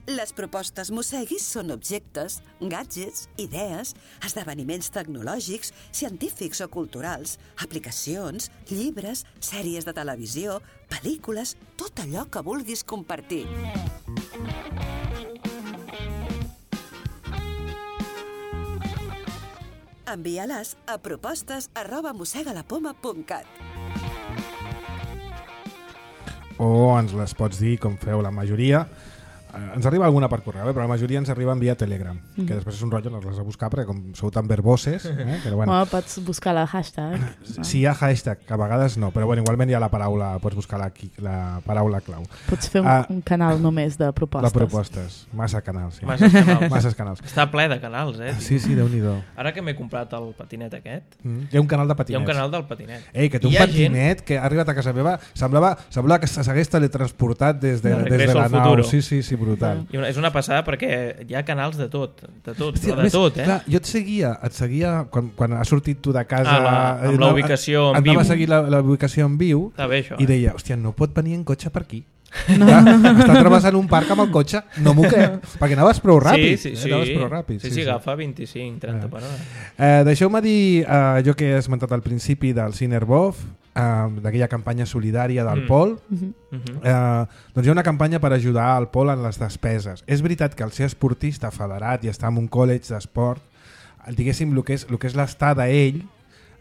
Les propostes Mosseguis són objectes, gadgets, idees, esdeveniments tecnològics, científics o culturals, aplicacions, llibres, sèries de televisió, pel·lícules, tot allò que vulguis compartir. Envia-les a propostes arroba mossegalapoma punt cat. O ens les pots dir com feu la majoria. Eh, ens arriba alguna per correu, eh? Però la majoria ens arriba via Telegram, mm. que després és un rotllo, no les has de buscar perquè com sou tan verboses, eh? Però bueno, Bueno, pots buscar la hashtag. si hi ha hashtag, que a vegades no, però bueno, igualment hi ha la paraula, pots buscar la, la paraula clau. Pots fer un, Ah, un canal només de propostes. De propostes, massa canals. Sí. Masses canals. Masses canals. Està ple de canals, eh? Sí, sí, Déu-n'hi-do. Ara que m'he comprat el patinet aquest, Mm. Hi ha un canal de hi ha patinets. un canal del patinet. Ei, que té un Hi ha patinet que ha arribat a casa meva, semblava, semblava que s'hagués teletransportat des de, De des de Regreso la al nau. futuro. Sí, sí, sí, brutal. I una, és una passada perquè hi ha canals de tot, de tot, Hòstia, però a de més, tot, eh? Clar, jo et seguia, et seguia quan, quan has sortit tu de casa... Ah, la- amb eh, la no, ubicació en et anava viu. a seguir la, la ubicació en viu Està bé, això, i eh? deia, hòstia, no pot venir en cotxe per aquí. No. Clar, està travessant un parc amb el cotxe, no m'ho crec, perquè anaves prou ràpid. Sí, sí, eh? sí. Anaves prou ràpid. Sí, sí, agafa vint-i-cinc trenta Ah. per hora. Eh, Deixeu-me dir, eh, jo que he esmentat al principi del Cinerbov, eh, d'aquella campanya solidària del Mm. Pol, Mhm. Mhm. eh, doncs hi ha una campanya per ajudar al Pol en les despeses. És veritat que al ser esportista federat i estar en un college d'esport, diguéssim, el que és, el que és l'estada ell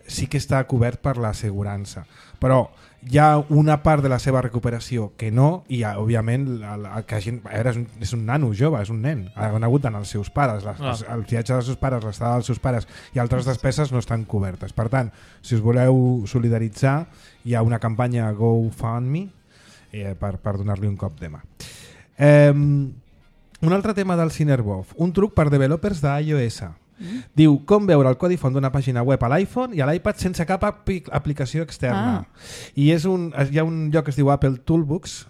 sí que està cobert per l'assegurança. Però hi ha una part de la seva recuperació que no, i ha, òbviament el, el que gent, a veure, és, un, és un nano jove, és un nen, ha conegut d'anar als seus pares, les, Ah. els, el viatge dels seus pares, l'estada dels seus pares i altres despeses no estan cobertes. Per tant, si us voleu solidaritzar, hi ha una campanya GoFundMe eh, per, per donar-li un cop de mà. Eh, un altre tema del Cinerbov, un truc per developers d'iOS. Mm. Diu com veure el codi font d'una pàgina web a l'iPhone i a l'iPad sense cap apli aplicació externa. Ah. I és un, hi ha un lloc que es diu Apple Toolbox,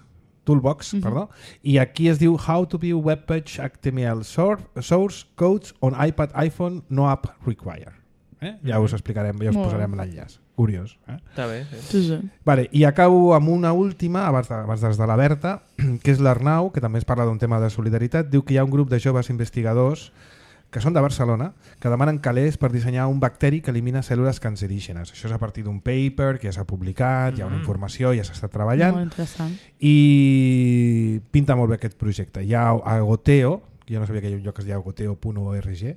Toolbox, mm -hmm. perdó, i aquí es diu How to view webpage H T M L source codes on iPad, iPhone, no app require. Eh? Ja us explicarem, ja us Molt. posarem l'enllaç. Curiós. Eh? Està bé, sí. sí, sí. Vale, i acabo amb una última, abans de, abans des de la Berta, que és l'Arnau, que també es parla d'un tema de solidaritat. Diu que hi ha un grup de joves investigadors que són de Barcelona, que demanen calés per dissenyar un bacteri que elimina cèl·lules cancerígenes. Això és a partir d'un paper que ja s'ha publicat, mm-hmm. hi ha una informació, ja s'està treballant. Molt interessant. I pinta molt bé aquest projecte. Hi ha a Goteo, jo no sabia que hi ha un lloc que es diu goteo punt org.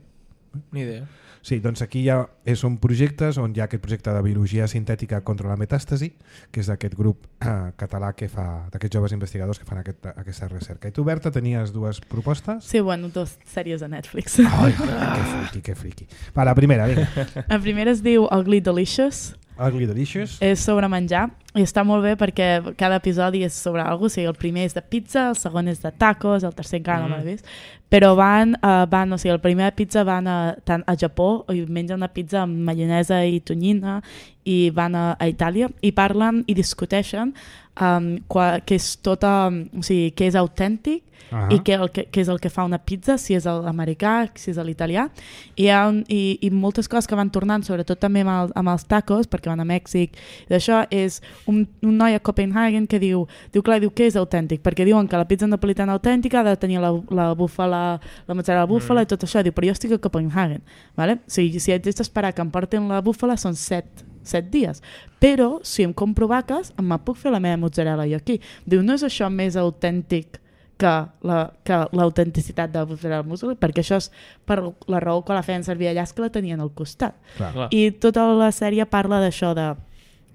Ni idea. Sí, doncs aquí ja són projectes on hi ha aquest projecte de biologia sintètica contra la metàstasi, que és d'aquest grup eh, català que fa, d'aquests joves investigadors que fan aquest, aquesta recerca. I tu, Berta, tenies dues propostes? Sí, bueno, dues sèries de Netflix. Ai, que friqui, que friqui. Va, la primera, vinga. La primera es diu Ugly Delicious. Ugly Delicious. És sobre menjar i està molt bé perquè cada episodi és sobre alguna cosa. O sigui, el primer és de pizza, el segon és de tacos, el tercer encara mm. no m'he vist. Però van, uh, van, o sigui, el primer pizza van a, tant a Japó i mengen una pizza amb maionesa i tonyina i van a, a Itàlia i parlen i discuteixen um, qua, que és tota, o sigui, que és autèntic uh-huh. i que, el, que, que és el que fa una pizza, si és l'americà, si és l'italià. I, hi ha un, i, i moltes coses que van tornant, sobretot també amb, el, amb els tacos, perquè van a Mèxic. I d'això és un, un noi a Copenhagen que diu, diu, clar, diu que és autèntic, perquè diuen que la pizza napolitana autèntica ha de tenir la, la búfala, la mozzarella búfala mm. i tot això. Diu, però jo estic a Copenhagen. Vale? O sigui, si haig d'esperar que em portin la búfala són set, set dies. Però si em compro vaques, em puc fer la meva mozzarella jo aquí. Diu, no és això més autèntic que l'autenticitat la, de la mozzarella muscoli, perquè això és per la raó que la feien servir allà, és que la tenien al costat. Clar. I tota la sèrie parla d'això de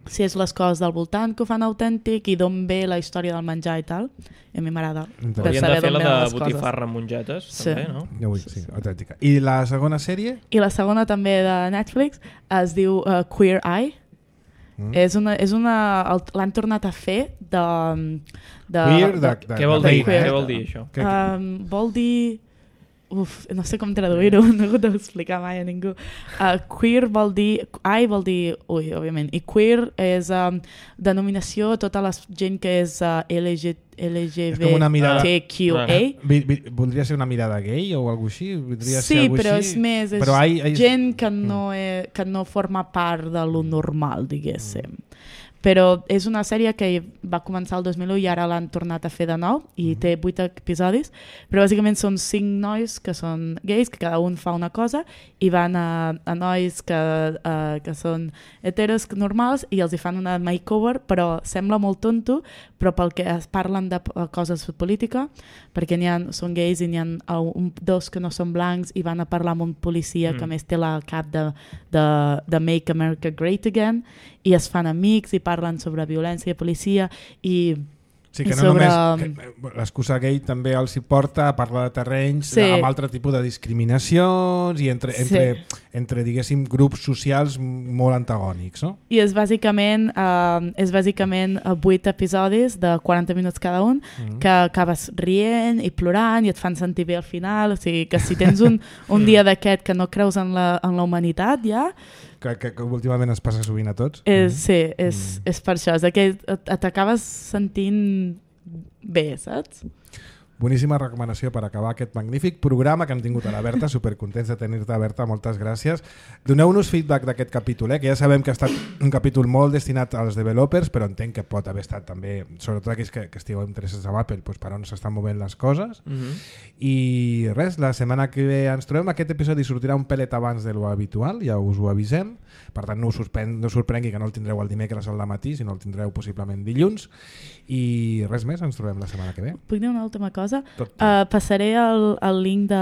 si és les coses del voltant que ho fan autèntic i d'on ve la història del menjar i tal. I a mi m'agrada. Hauríem de fer la de botifarra amb mongetes, sí. també, no? Ja vull, sí, autèntica. I la segona sèrie? I la segona també de Netflix es diu uh, Queer Eye. Mm. És una, és una, l'han tornat a fer de... de, Queer, de, de, de què vol de, dir, de, què vol dir això? Um, vol dir... Uf, no sé com traduir-ho, no he hagut d'explicar mai a ningú. Uh, queer vol dir... I vol dir... Ui, òbviament. I queer és um, denominació a tota la gent que és uh, L G B T Q A. Ah. Voldria ser una mirada gay o alguna així? Voldria sí, ser però així? és més... És però hi, hi... gent que no, he, que no forma part de lo normal, diguéssim. Mm. Però és una sèrie que va començar el dos mil u i ara l'han tornat a fer de nou i té vuit episodis, però bàsicament són cinc nois que són gais, que cada un fa una cosa i van a, a nois que, uh, que són heteros normals i els hi fan una makeover, però sembla molt tonto, però pel que es parlen de coses de política, perquè n'hi ha, són gais i n'hi ha un, dos que no són blancs i van a parlar amb un policia mm. que més té la cap de, de, de Make America Great Again i es fan amics i parlen sobre violència i policia i sí, que no sobre... només l'excusa gay també els hi porta a parlar de terrenys sí. amb altre tipus de discriminacions i entre, entre, sí. entre diguéssim grups socials molt antagònics, no? I és bàsicament uh, és bàsicament vuit episodis de quaranta minuts cada un mm-hmm. que acabes rient i plorant i et fan sentir bé al final, o sigui que si tens un, un dia d'aquest que no creus en la, en la humanitat ja que, que, que últimament es passa sovint a tots. És, sí, és, mm. és per això, és que t'acabes sentint bé, saps? Boníssima recomanació per acabar aquest magnífic programa que hem tingut a la Berta, supercontents de tenir-te, Berta, moltes gràcies. Doneu-nos feedback d'aquest capítol, eh? Que ja sabem que ha estat un capítol molt destinat als developers, però entenc que pot haver estat també, sobretot aquells que, que estigueu interessats en Apple, doncs per on s'estan movent les coses. Mm-hmm. I res, la setmana que ve ens trobem, aquest episodi sortirà un pelet abans de lo habitual, ja us ho avisem, per tant no us sorprengui, no us sorprengui que no el tindreu el dimecres al matí, sinó el tindreu possiblement dilluns, i res més, ens trobem la setmana que ve. Puc dir una última cosa? Uh, passaré el, el link de,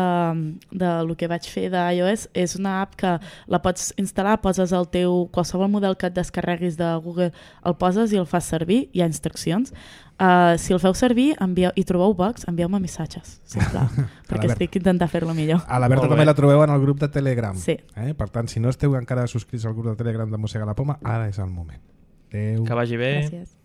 de lo que vaig fer d'iOS. És una app que la pots instal·lar, poses el teu, qualsevol model que et descarreguis de Google, el poses i el fas servir, hi ha instruccions. Uh, si el feu servir envieu, i trobeu bugs, envieu-me missatges, sisplau, perquè estic intentant fer-lo millor. A la Berta també la trobeu en el grup de Telegram. Sí. Eh? Per tant, si no esteu encara subscrits al grup de Telegram de Mossega la Poma, ara és el moment. Adéu. Que vagi bé. Gràcies.